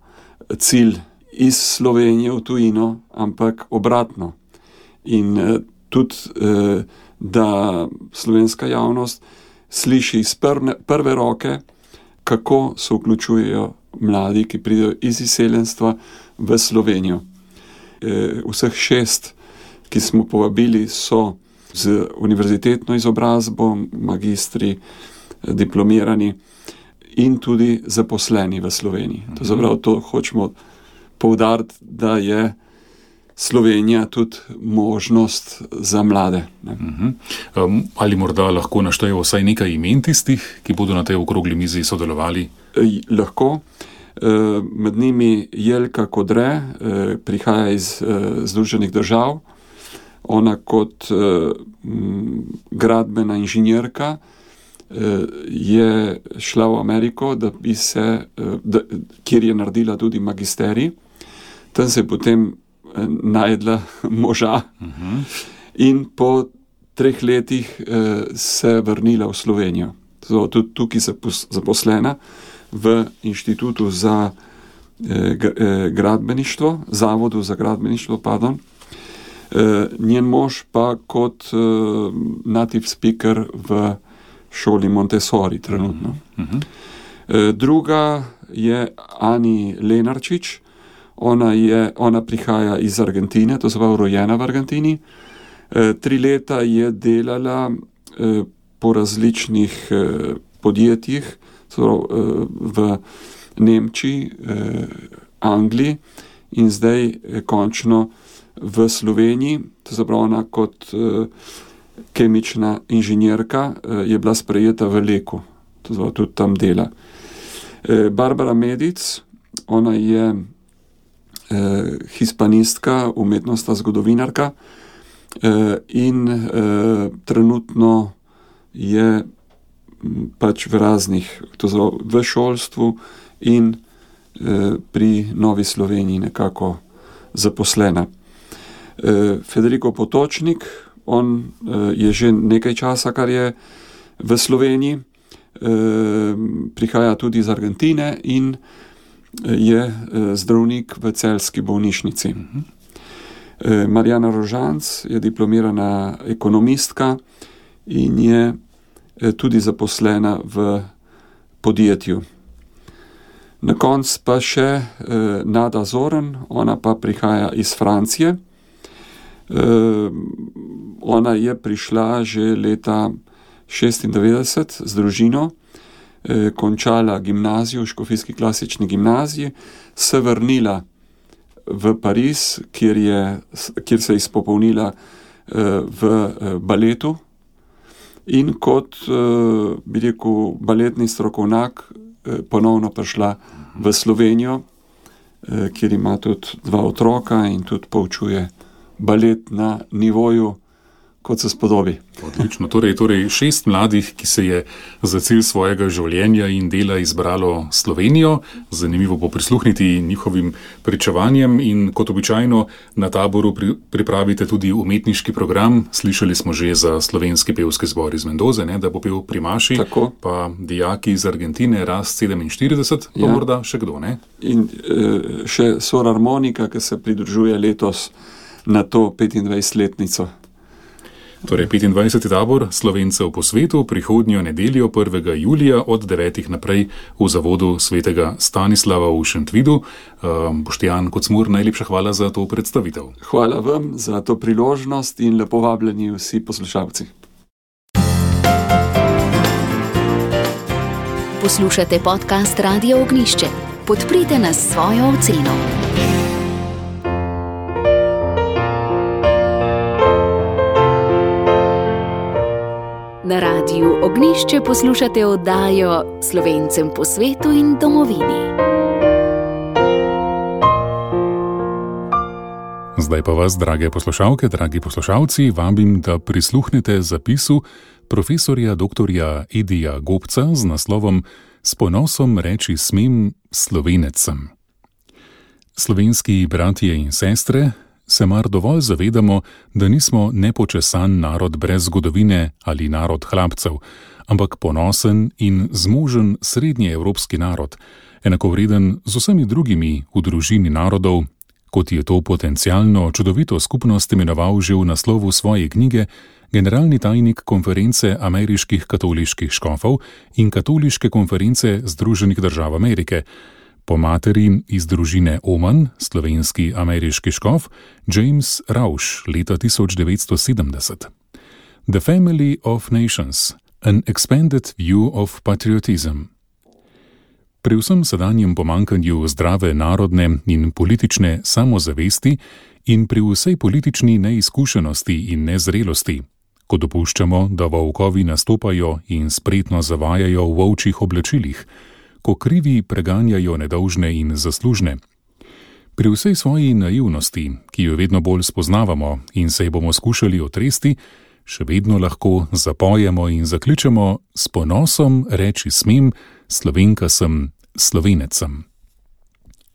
Speaker 5: cilj iz Slovenije v tujino, ampak obratno. In tudi, da slovenska javnost sliši iz prve roke, kako se vključujejo mladi, ki pridejo iz izseljenstva v Slovenijo. Vseh šest, ki smo povabili, so z univerzitetno izobrazbo, magistri, diplomirani in tudi zaposleni v Sloveniji. To zaprav, to hočemo poudariti, da je Slovenija tudi možnost za mlade.
Speaker 2: Uh-huh. Um, ali morda lahko naštejo vsaj nekaj imen tistih, ki bodo na tej okrogli mizi sodelovali?
Speaker 5: E, lahko. E, med njimi Jelka Kodre, e, prihaja iz e, Združenih držav. Ona kot e, m, gradbena inženjerka e, je šla v Ameriko, da bi se, e, da, kjer je naredila tudi magisterij. Tam se je potem najdla moža uh-huh. in po treh letih eh, se vrnila v Slovenijo. Zato tudi tukaj se zaposlena v inštitutu za eh, gradbeništvo, zavodu za gradbeništvo, pardon. Eh, njen mož pa kot eh, native speaker v šoli Montessori trenutno. Uh-huh. Eh, druga je Ani Lenarčič. Ona, je, ona prihaja iz Argentine, to se pravi rojena v Argentini. E, tri leta je delala e, po različnih e, podjetjih, pravi, e, v Nemčiji, e, Angliji in zdaj e, končno v Sloveniji. To se pravi, ona kot e, kemična inženjerka e, je bila sprejeta v Leku, to se pravi, tudi tam dela. E, Barbara Medic, ona je eh, hispanistka, umetnostna zgodovinarka eh, in eh, trenutno je pač v raznih, to zelo v šolstvu in eh, pri Novi Sloveniji nekako zaposlena. Eh, Federico Potočnik, on eh, je že nekaj časa, kar je v Sloveniji, eh, prihaja tudi iz Argentine in je eh, zdravnik v celjski bolnišnici. Eh, Marjana Rožanc je diplomirana ekonomistka in je eh, tudi zaposlena v podjetju. Na koncu pa še eh, Nada Zoren, ona pa prihaja iz Francije. Eh, ona je prišla že leta šestindevetdeset z družino, eh, končala gimnazijo v Škofijski klasični gimnaziji, se vrnila v Pariz, kjer, je, kjer se je izpopolnila eh, v eh, baletu in kot, eh, bi rekel, baletni strokovnjak ponovno prišla v Slovenijo, kjer ima tudi dva otroka in tudi poučuje balet na nivoju, kot se spodobi.
Speaker 2: Odlično. Torej, torej šest mladih, ki se je za cilj svojega življenja in dela izbralo Slovenijo. Zanimivo bo prisluhniti njihovim pričevanjem in kot običajno na taboru pri, pripravite tudi umetniški program. Slišali smo že za slovenski pevski zbor iz Mendoze, ne, da bo pel Primaši,
Speaker 5: tako. Pa
Speaker 2: dijaki iz Argentine, Rast sedeminštirideset, pa ja. Morda še kdo, ne?
Speaker 5: In e, še Sor Harmonika, ki se pridružuje letos na to petindvajsetletnico.
Speaker 2: Torej petindvajseti tabor Slovencev po svetu prihodnjo nedeljo prvega julija od devetih naprej v zavodu svetega Stanislava v Šentvidu. Uh, Boštjan Kocmur, najlepša hvala za to predstavitev.
Speaker 5: Hvala vam za to priložnost in lepo vabljeni vsi poslušalci.
Speaker 1: Poslušate podcast Radia Ognjišče. Podprite nas s svojo oceno. Na Radiu Ognjišče poslušate oddajo Slovencem po svetu in domovini.
Speaker 2: Zdaj pa vas, drage poslušalke, dragi poslušalci, vabim, da prisluhnete zapisu profesorja doktorja Edija Gobca z naslovom S ponosom reči smem Slovenec sem. Slovenski bratje in sestre, se mar dovolj zavedamo, da nismo nepočesan narod brez zgodovine ali narod hlapcev, ampak ponosen in zmožen srednjeevropski narod, enakovreden z vsemi drugimi v družini narodov, kot je to potencialno čudovito skupnost imenoval že v naslovu svoje knjige generalni tajnik konference ameriških katoliških škofov in katoliške konference Združenih držav Amerike, po materi iz družine Oman, slovenski ameriški škof, James Rausch, leta tisoč devetsto sedemdeset. The Family of Nations, an expanded view of patriotism. Pri vsem sedanjem pomankanju zdrave narodne in politične samozavesti in pri vsej politični neizkušenosti in nezrelosti, ko dopuščamo, da volkovi nastopajo in spretno zavajajo v ovčjih oblačilih, ko krivi preganjajo nedolžne in zaslužne. Pri vsej svoji naivnosti, ki jo vedno bolj spoznavamo in se ji bomo skušali otresti, še vedno lahko zapojemo in zakličemo s ponosom reči smem, Slovenka sem, Slovenec sem.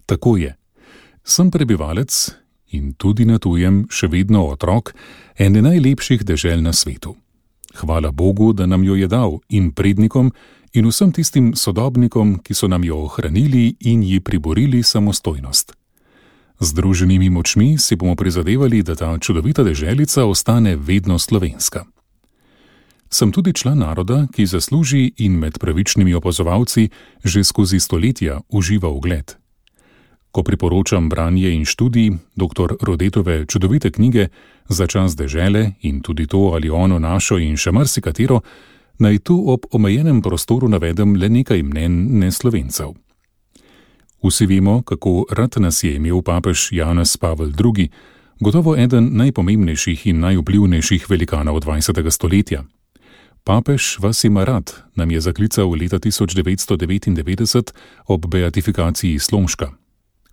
Speaker 2: Tako je. Sem prebivalec in tudi na tujem še vedno otrok ene najlepših dežel na svetu. Hvala Bogu, da nam jo je dal in prednikom in vsem tistim sodobnikom, ki so nam jo ohranili in ji priborili samostojnost. Združenimi močmi si bomo prizadevali, da ta čudovita deželica ostane vedno slovenska. Sem tudi član naroda, ki zasluži in med pravičnimi opazovalci že skozi stoletja uživa ugled. Ko priporočam branje in študij doktor Rodetove čudovite knjige Za čas dežele in tudi to ali ono našo in še marsikatero, naj tu ob omejenem prostoru navedem le nekaj mnen neslovencev. Vsi vemo, kako rad nas je imel papež Janez Pavel drugi, gotovo eden najpomembnejših in najvplivnejših velikanov dvajsetega stoletja. Papež vas ima rad, nam je zaklical leta tisoč devetsto devetindevetdeset ob beatifikaciji Slomška.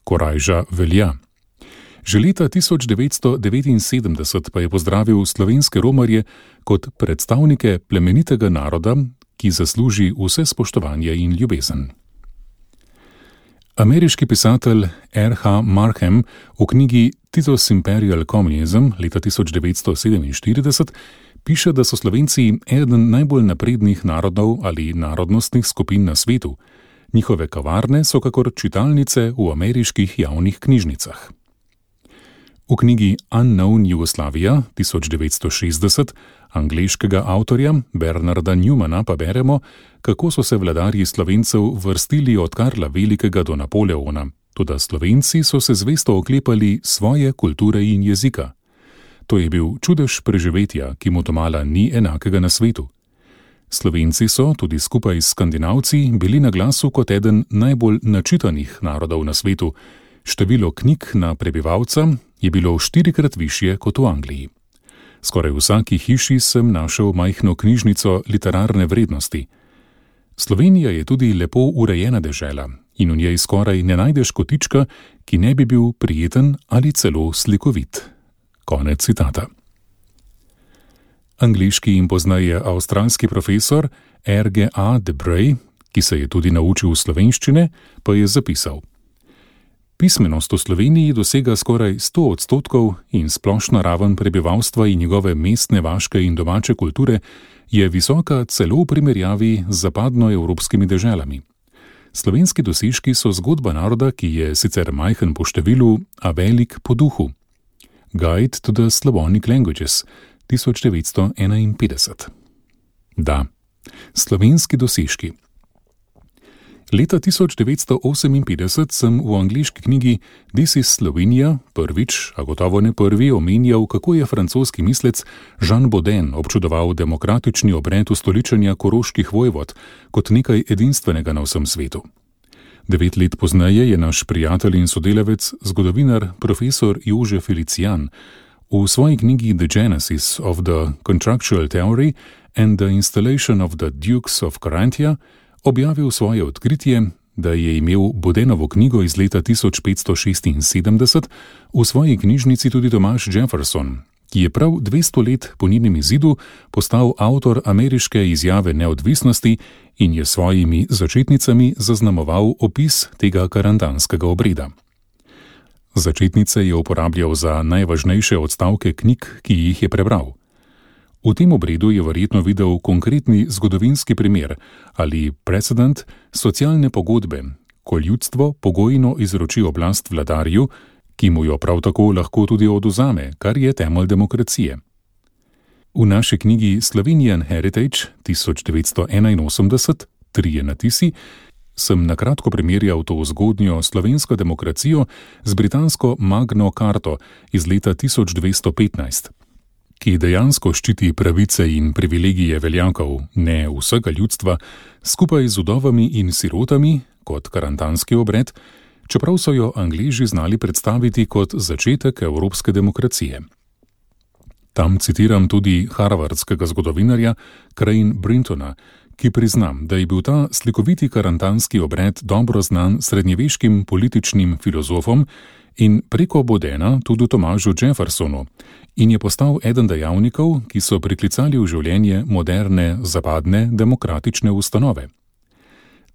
Speaker 2: Korajža velja, Že leta tisoč devetsto devetinsedemdeset pa je pozdravil slovenske romarje kot predstavnike plemenitega naroda, ki zasluži vse spoštovanje in ljubezen. Ameriški pisatelj R H Markham v knjigi Tito's Imperial Communism leta tisoč devetsto sedeminštirideset piše, da so Slovenci eden najbolj naprednih narodov ali narodnostnih skupin na svetu. Njihove kavarne so kakor čitalnice v ameriških javnih knjižnicah. V knjigi Unknown Jugoslavia tisoč devetsto šestdeset angleškega avtorja Bernarda Newmana pa beremo, kako so se vladarji Slovencev vrstili od Karla Velikega do Napoleona, toda Slovenci so se zvesto oklepali svoje kulture in jezika. To je bil čudež preživetja, ki mu domala ni enakega na svetu. Slovenci so, tudi skupaj s Skandinavci, bili na glasu kot eden najbolj načitanih narodov na svetu. Število knjig na prebivalca je bilo štirikrat višje kot v Angliji. Skoraj v vsaki hiši sem našel majhno knjižnico literarne vrednosti. Slovenija je tudi lepo urejena dežela in v njej skoraj ne najdeš kotička, ki ne bi bil prijeten ali celo slikovit. Konec citata. Angliški in pozneje avstralski profesor R G A Debray, ki se je tudi naučil slovenščine, pa je zapisal: Pismenost v Sloveniji dosega skoraj sto odstotkov in splošna raven prebivalstva in njegove mestne, vaške in domače kulture je visoka celo v primerjavi z zapadnoevropskimi deželami. Slovenski dosežki so zgodba naroda, ki je sicer majhen po številu, a velik po duhu. Guide to the Slavonic Languages, tisoč devetsto enainpetdeset. Da, slovenski dosežki. Leta tisoč devetsto oseminpetdeset sem v angleški knjigi This is Slovenia prvič, a gotovo ne prvi, omenjal, kako je francoski mislec Jean Bodin občudoval demokratični obred ustoličenja koroških vojvod kot nekaj edinstvenega na vsem svetu. Devet let pozneje je naš prijatelj in sodelavec, zgodovinar profesor Jože Felicijan, v svoji knjigi The Genesis of the Contractual Theory and the Installation of the Dukes of Carinthia objavil svoje odkritje, da je imel Bodenovo knjigo iz leta tisoč petsto šestinsedemdeset v svoji knjižnici tudi Thomas Jefferson, ki je prav dvesto let po njenem izidu postal avtor ameriške izjave neodvisnosti in je svojimi začetnicami zaznamoval opis tega karantanskega obreda. Začetnice je uporabljal za najvažnejše odstavke knjig, ki jih je prebral. V tem obredu je verjetno videl konkretni zgodovinski primer ali precedent socialne pogodbe, ko ljudstvo pogojno izroči oblast vladarju, ki mu jo prav tako lahko tudi odvzame, kar je temelj demokracije. V naši knjigi Slovenian Heritage tisoč devetsto enainosemdeset, trije natisi, sem nakratko primerjal to zgodnjo slovensko demokracijo z britansko Magno Carto iz leta tisoč dvesto petnajst. Ki dejansko ščiti pravice in privilegije veljakov, ne vsega ljudstva, skupaj z vdovami in sirotami, kot karantanski obred, čeprav so jo Angleži znali predstaviti kot začetek evropske demokracije. Tam citiram tudi harvardskega zgodovinarja Crane Brintona, ki priznam, da je bil ta slikoviti karantanski obred dobro znan srednjeveškim političnim filozofom in preko Bodena tudi Tomažu Jeffersonu in je postal eden dejavnikov, ki so priklicali v življenje moderne, zapadne, demokratične ustanove.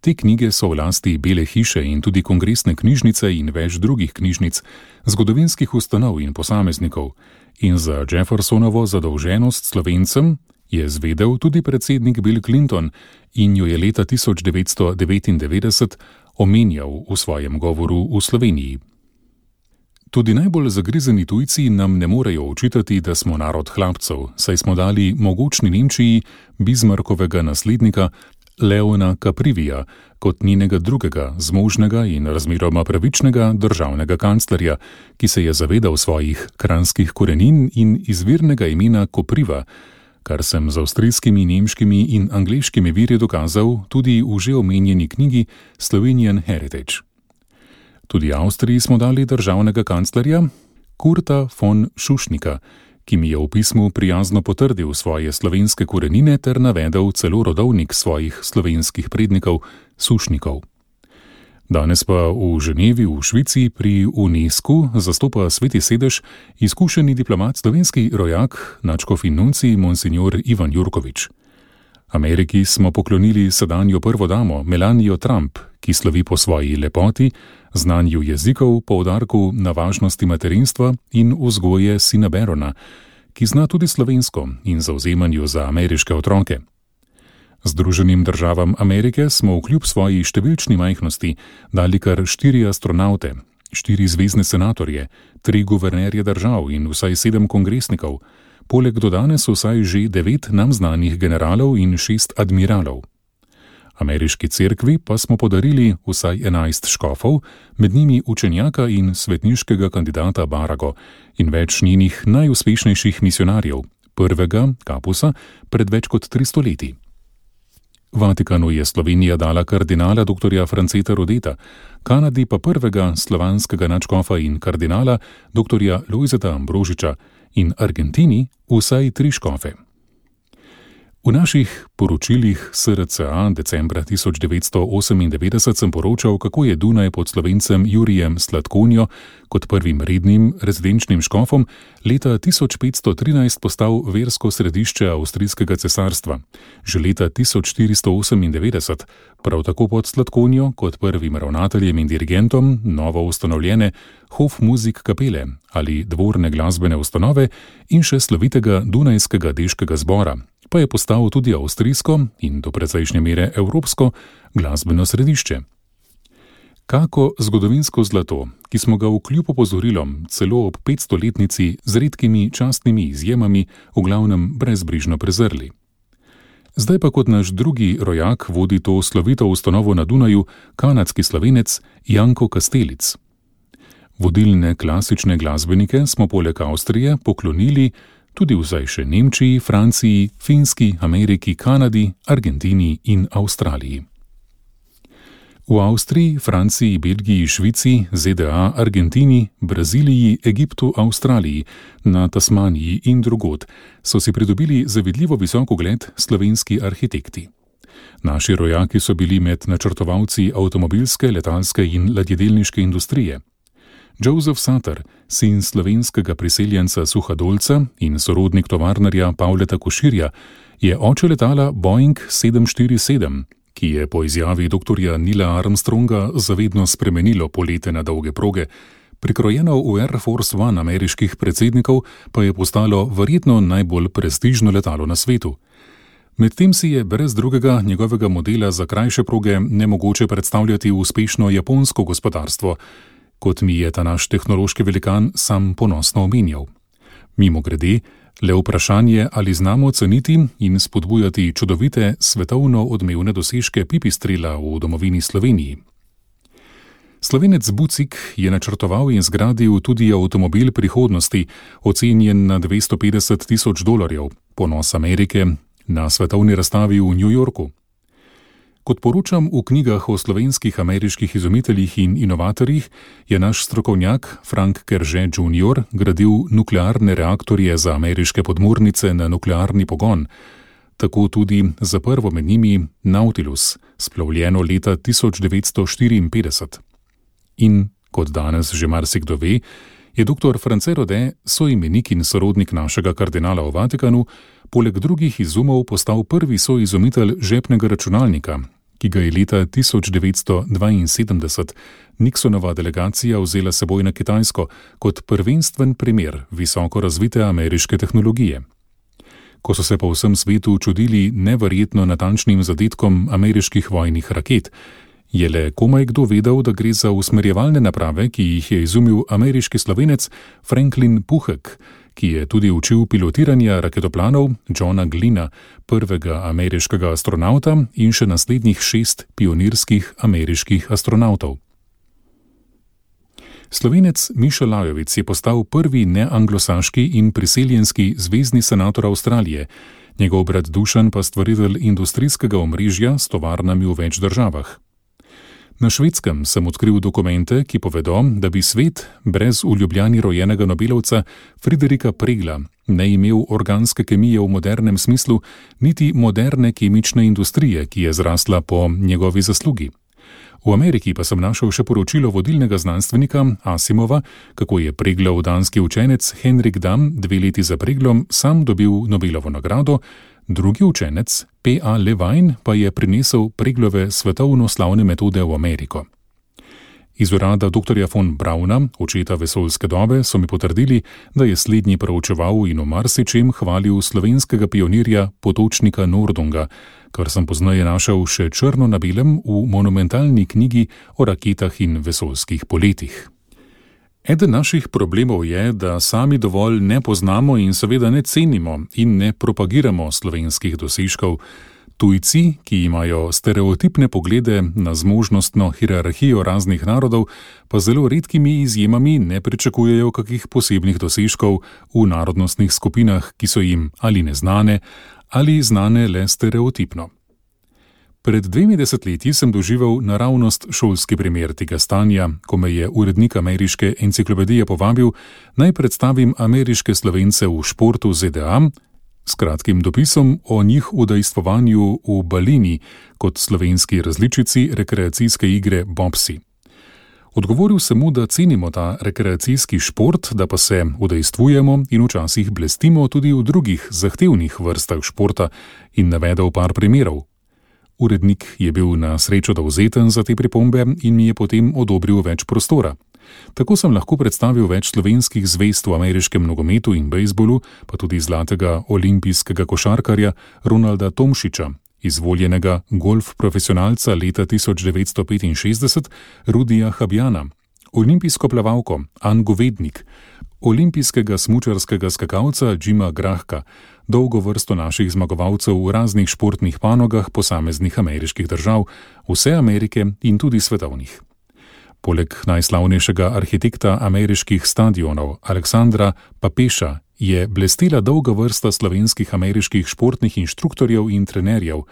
Speaker 2: Te knjige so v lasti Bele hiše in tudi kongresne knjižnice in več drugih knjižnic, zgodovinskih ustanov in posameznikov, in za Jeffersonovo zadolženost Slovencem je zvedel tudi predsednik Bill Clinton in jo je leta tisoč devetsto devetindevetdeset omenjal v svojem govoru v Sloveniji. Tudi najbolj zagrizeni tujci nam ne morejo očitati, da smo narod hlapcev, saj smo dali mogočni Nemčiji Bismarckovega naslednika Leona Caprivija kot njenega drugega, zmožnega in razmeroma pravičnega državnega kanclerja, ki se je zavedal svojih kranjskih korenin in izvirnega imena Kopriva, kar sem z avstrijskimi, nemškimi in angleškimi viri dokazal tudi v že omenjeni knjigi Slovenian Heritage. Tudi Avstriji smo dali državnega kanclerja Kurta von Šušnika, ki mi je v pismu prijazno potrdil svoje slovenske korenine ter navedel celo rodovnik svojih slovenskih prednikov, Sušnikov. Danes pa v Ženevi v Švici pri UNESCO zastopa Sveti sedež izkušeni diplomat, slovenski rojak, nadškof in nuncij monsignor Ivan Jurkovič. Ameriki smo poklonili sedanjo prvo damo Melanijo Trump, ki slovi po svoji lepoti, znanju jezikov, poudarku na važnosti materinstva in vzgoje sina Barona, ki zna tudi slovensko in zavzemanju za ameriške otroke. Združenim državam Amerike smo vkljub svoji številčni majhnosti dali kar štiri astronaute, štiri zvezne senatorje, tri guvernerje držav in vsaj sedem kongresnikov, poleg do danes vsaj že devet nam znanih generalov in šest admiralov. Ameriški cerkvi pa smo podarili vsaj enajst škofov, med njimi učenjaka in svetniškega kandidata Barago in več njenih najuspešnejših misionarjev, prvega, Kapusa, pred več kot tristo leti. Vatikanu je Slovenija dala kardinala doktorja Franceta Rodeta, Kanadi pa prvega slovanskega nadškofa in kardinala doktorja Lojzeta Ambrožiča in Argentini vsaj tri škofe. V naših poročilih S R C A decembra tisoč devetsto osemindevetdeset sem poročal, kako je Dunaj pod Slovencem Jurijem Sladkonjo kot prvim rednim rezidenčnim škofom leta tisoč petsto trinajst postal versko središče avstrijskega cesarstva. Že leta tisoč štiristo osemindevetdeset, prav tako pod Sladkonjo kot prvim ravnateljem in dirigentom novo ustanovljene Hofmuzikkapele ali dvorne glasbene ustanove in še slovitega Dunajskega deškega zbora, pa je postal tudi avstrijsko in do precejšnje mere evropsko glasbeno središče. Kako zgodovinsko zlato, ki smo ga vkljub opozorilom celo ob petstoletnici z redkimi častnimi izjemami v glavnem brezbrižno prezrli. Zdaj pa kot naš drugi rojak vodi to slovito ustanovo na Dunaju kanadski Slovenec Janko Kastelic. Vodilne klasične glasbenike smo poleg Avstrije poklonili tudi vsaj še Nemčiji, Franciji, Finski, Ameriki, Kanadi, Argentini in Avstraliji. V Avstriji, Franciji, Belgiji, Švici, Z D A, Argentini, Braziliji, Egiptu, Avstraliji, na Tasmaniji in drugod so si pridobili zavidljivo visok ugled slovenski arhitekti. Naši rojaki so bili med načrtovalci avtomobilske, letalske in ladjedelniške industrije. Joseph Sutter, sin slovenskega priseljenca Suhadolca in sorodnik tovarnarja Pavleta Koširja, je oče letala Boeing sedem štiri sedem, ki je po izjavi doktorja Neila Armstronga zavedno spremenilo polete na dolge proge. Prikrojeno v Air Force One ameriških predsednikov pa je postalo verjetno najbolj prestižno letalo na svetu. Medtem si je brez drugega njegovega modela za krajše proge nemogoče predstavljati uspešno japonsko gospodarstvo, kot mi je ta naš tehnološki velikan sam ponosno omenjal. Mimogrede, le vprašanje, ali znamo ceniti in spodbujati čudovite svetovno odmevne dosežke pipistrela v domovini Sloveniji. Slovenec Bucik je načrtoval in zgradil tudi avtomobil prihodnosti, ocenjen na dvesto petdeset tisoč dolarjev, ponos Amerike, na svetovni razstavi v New Yorku. Kot poročam v knjigah o slovenskih ameriških izumiteljih in inovatorjih, je naš strokovnjak Frank Kerže junior gradil nuklearne reaktorje za ameriške podmornice na nuklearni pogon, tako tudi za prvo med njimi Nautilus, splovljeno leta tisoč devetsto štiriinpetdeset. In, kot danes že marsikdo ve, je doktor France Rode, soimenik in sorodnik našega kardinala v Vatikanu, poleg drugih izumov postal prvi soizumitelj žepnega računalnika, ki ga je leta tisoč devetsto dvainsedemdeset Nixonova delegacija vzela seboj na Kitajsko kot prvenstven primer visoko razvite ameriške tehnologije. Ko so se po vsem svetu čudili neverjetno natančnim zadetkom ameriških vojnih raket, je le komaj kdo vedel, da gre za usmerjevalne naprave, ki jih je izumil ameriški Slovenec Franklin Puhek, ki je tudi učil pilotiranja raketoplanov Johna Glynna, prvega ameriškega astronauta in še naslednjih šest pionirskih ameriških astronautov. Slovenec Mišo Lajovic je postal prvi neanglosaški in priseljenski zvezni senator Avstralije, njegov brat Dušan pa stvaritelj industrijskega omrežja s tovarnami v več državah. Na Švedskem sem odkril dokumente, ki povedo, da bi svet brez v Ljubljani rojenega Nobelovca Friderika Pregla ne imel organske kemije v modernem smislu, niti moderne kemične industrije, ki je zrasla po njegovi zaslugi. V Ameriki pa sem našel še poročilo vodilnega znanstvenika Asimova, kako je preglov danski učenec Henrik Dam dve leti za preglom sam dobil Nobelovo nagrado, drugi učenec P A Levine pa je prinesel preglove svetovno slavne metode v Ameriko. Iz urada doktorja von Brauna, očeta vesoljske dobe, so mi potrdili, da je slednji proučeval in v marsičem hvalil slovenskega pionirja Potočnika Nordunga, kar sem pozneje našel še črno na belem v monumentalni knjigi o raketah in vesoljskih poletih. Eden naših problemov je, da sami dovolj ne poznamo in seveda ne cenimo in ne propagiramo slovenskih dosežkov. Tujci, ki imajo stereotipne poglede na zmožnostno hierarhijo raznih narodov, pa zelo redkimi izjemami ne pričakujejo kakih posebnih dosežkov v narodnostnih skupinah, ki so jim ali neznane, ali znane le stereotipno. Pred dvemi desetletji sem doživel naravnost šolski primer tega stanja, ko me je urednik ameriške enciklopedije povabil, naj predstavim ameriške Slovence v športu Z D A, s kratkim dopisom o njih udejstvovanju v balini kot slovenski različici rekreacijske igre bobsi. Odgovoril sem mu, da cenimo ta rekreacijski šport, da pa se udejstvujemo in včasih blestimo tudi v drugih zahtevnih vrstah športa in navedel par primerov. Urednik je bil na srečo dovzeten za te pripombe in mi je potem odobril več prostora. Tako sem lahko predstavil več slovenskih zvezd v ameriškem nogometu in bejzbolu, pa tudi zlatega olimpijskega košarkarja Ronalda Tomšiča, izvoljenega golf profesionalca leta tisoč devetsto petinšestdeset Rudija Habjana, olimpijsko plavalko Ann Govednik, olimpijskega smučarskega skakalca Jima Grahka, dolgo vrsto naših zmagovalcev v raznih športnih panogah posameznih ameriških držav, vse Amerike in tudi svetovnih. Poleg najslavnejšega arhitekta ameriških stadionov Aleksandra Papeša je blestela dolga vrsta slovenskih ameriških športnih inštruktorjev in trenerjev,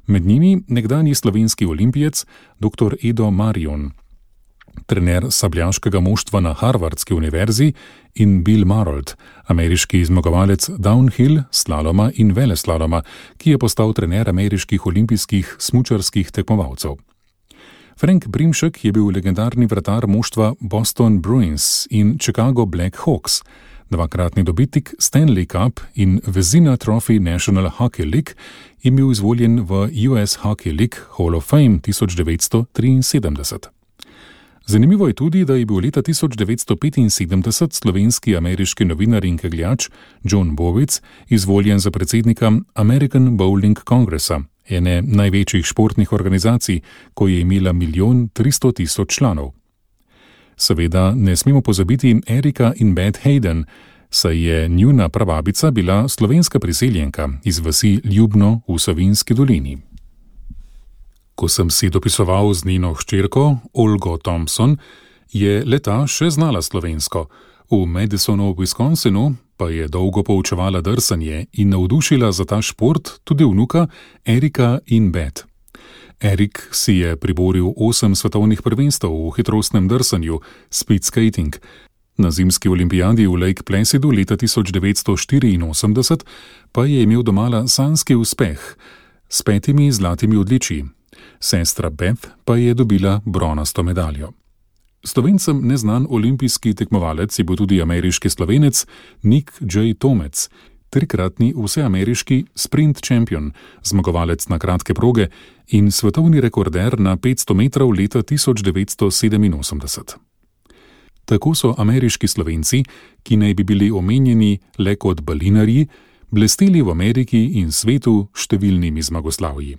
Speaker 2: med njimi nekdanji slovenski olimpijec dr. Edo Marion, trener sabljaškega moštva na Harvardski univerzi, in Bill Marold, ameriški zmagovalec downhill, slaloma in veleslaloma, ki je postal trener ameriških olimpijskih smučarskih tekmovalcev. Frank Brimšek je bil legendarni vratar moštva Boston Bruins in Chicago Black Hawks, dvakratni dobitnik Stanley Cup in Vezina Trophy National Hockey League in bil izvoljen v U S Hockey League Hall of Fame tisoč devetsto triinsedemdeset. Zanimivo je tudi, da je bil leta tisoč devetsto petinsedemdeset slovenski ameriški novinar in kegljač John Bowitz izvoljen za predsednika American Bowling Congressa, ene največjih športnih organizacij, ko je imela milijon tristo tisoč članov. Seveda ne smemo pozabiti Erika in Beth Hayden, saj je njuna prababica bila slovenska priseljenka iz vasi Ljubno v Savinjski dolini. Ko sem si dopisoval z njeno hčerko, Olgo Thompson, je leta še znala slovensko. V Madisonu v Wisconsinu pa je dolgo poučevala drsanje in navdušila za ta šport tudi vnuka Erika in Beth. Erik si je priboril osem svetovnih prvenstev v hitrostnem drsanju, speed skating. Na zimski olimpijadi v Lake Placidu leta tisoč devetsto štiriinosemdeset pa je imel domala sanjski uspeh s petimi zlatimi odličji. Sestra Beth pa je dobila bronasto medaljo. Slovencem neznan olimpijski tekmovalec je bil tudi ameriški Slovenec Nick J. Tomec, trikratni vseameriški sprint champion, zmagovalec na kratke proge in svetovni rekorder na petsto metrov leta tisoč devetsto sedeminosemdeset. Tako so ameriški Slovenci, ki naj bi bili omenjeni le kot balinarji, blesteli v Ameriki in svetu številnimi zmagoslavji.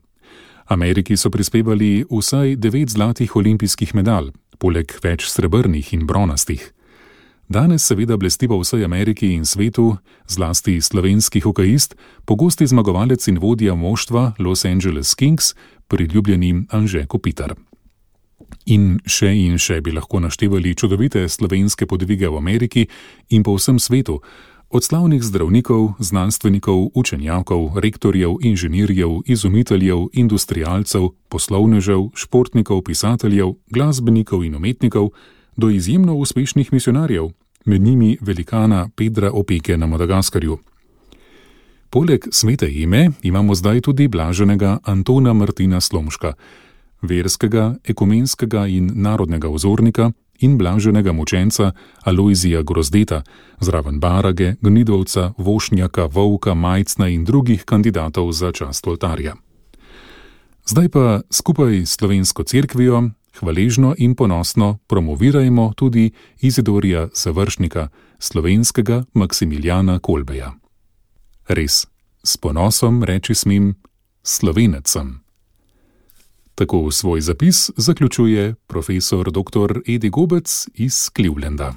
Speaker 2: Ameriki so prispevali vsaj devet zlatih olimpijskih medalj, poleg več srebrnih in bronastih. Danes seveda blesti po vsej Ameriki in svetu, zlasti slovenski hokejist, pogosti zmagovalec in vodja moštva Los Angeles Kings, priljubljeni Anže Kopitar. In še in še bi lahko naštevali čudovite slovenske podvige v Ameriki in po vsem svetu, od slavnih zdravnikov, znanstvenikov, učenjakov, rektorjev, inženirjev, izumiteljev, industrialcev, poslovnežev, športnikov, pisateljev, glasbenikov in umetnikov, do izjemno uspešnih misionarjev, med njimi velikana Pedra Opeke na Madagaskarju. Poleg svete ime imamo zdaj tudi blaženega Antona Martina Slomška. verskega, ekumenskega in narodnega vzornika in blaženega mučenca Alojzija Grozdeta, zraven Barage, Gnidovca, Vošnjaka, Volka, Majcna in drugih kandidatov za čast oltarja. Zdaj pa skupaj s slovensko cerkvijo hvaležno in ponosno promovirajmo tudi Izidorja Završnika, slovenskega Maksimiljana Kolbeja. Res, s ponosom reči smem, Slovenec sem. Tako svoj zapis zaključuje profesor doktor Edi Gobec iz Clevelanda.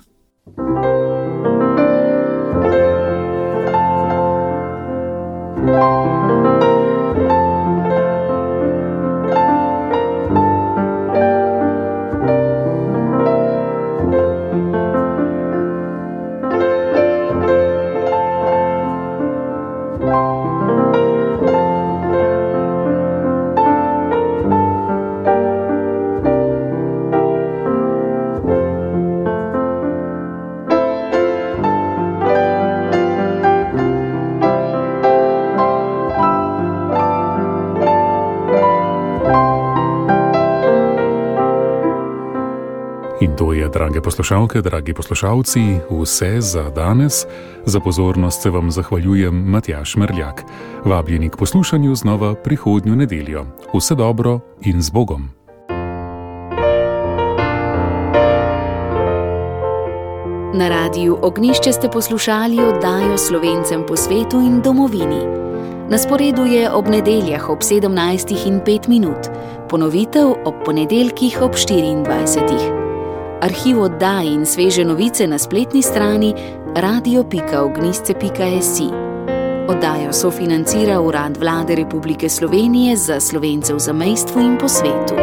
Speaker 2: In to je, drage poslušalke, dragi poslušalci, vse za danes. Za pozornost se vam zahvaljujem Matjaž Merljak. Vabljeni k poslušanju znova prihodnjo nedeljo. Vse dobro in z Bogom.
Speaker 1: Na Radiu Ognjišče ste poslušali oddajo Slovencem po svetu in domovini. Na sporedu je ob nedeljah ob sedemnajstih in pet minut, ponovitev ob ponedeljkih ob štiriindvajsetih. Arhiv oddaj in sveže novice na spletni strani radio pika ognjišče pika si. Oddajo sofinancira Urad Vlade Republike Slovenije za Slovence v zamejstvu in po svetu.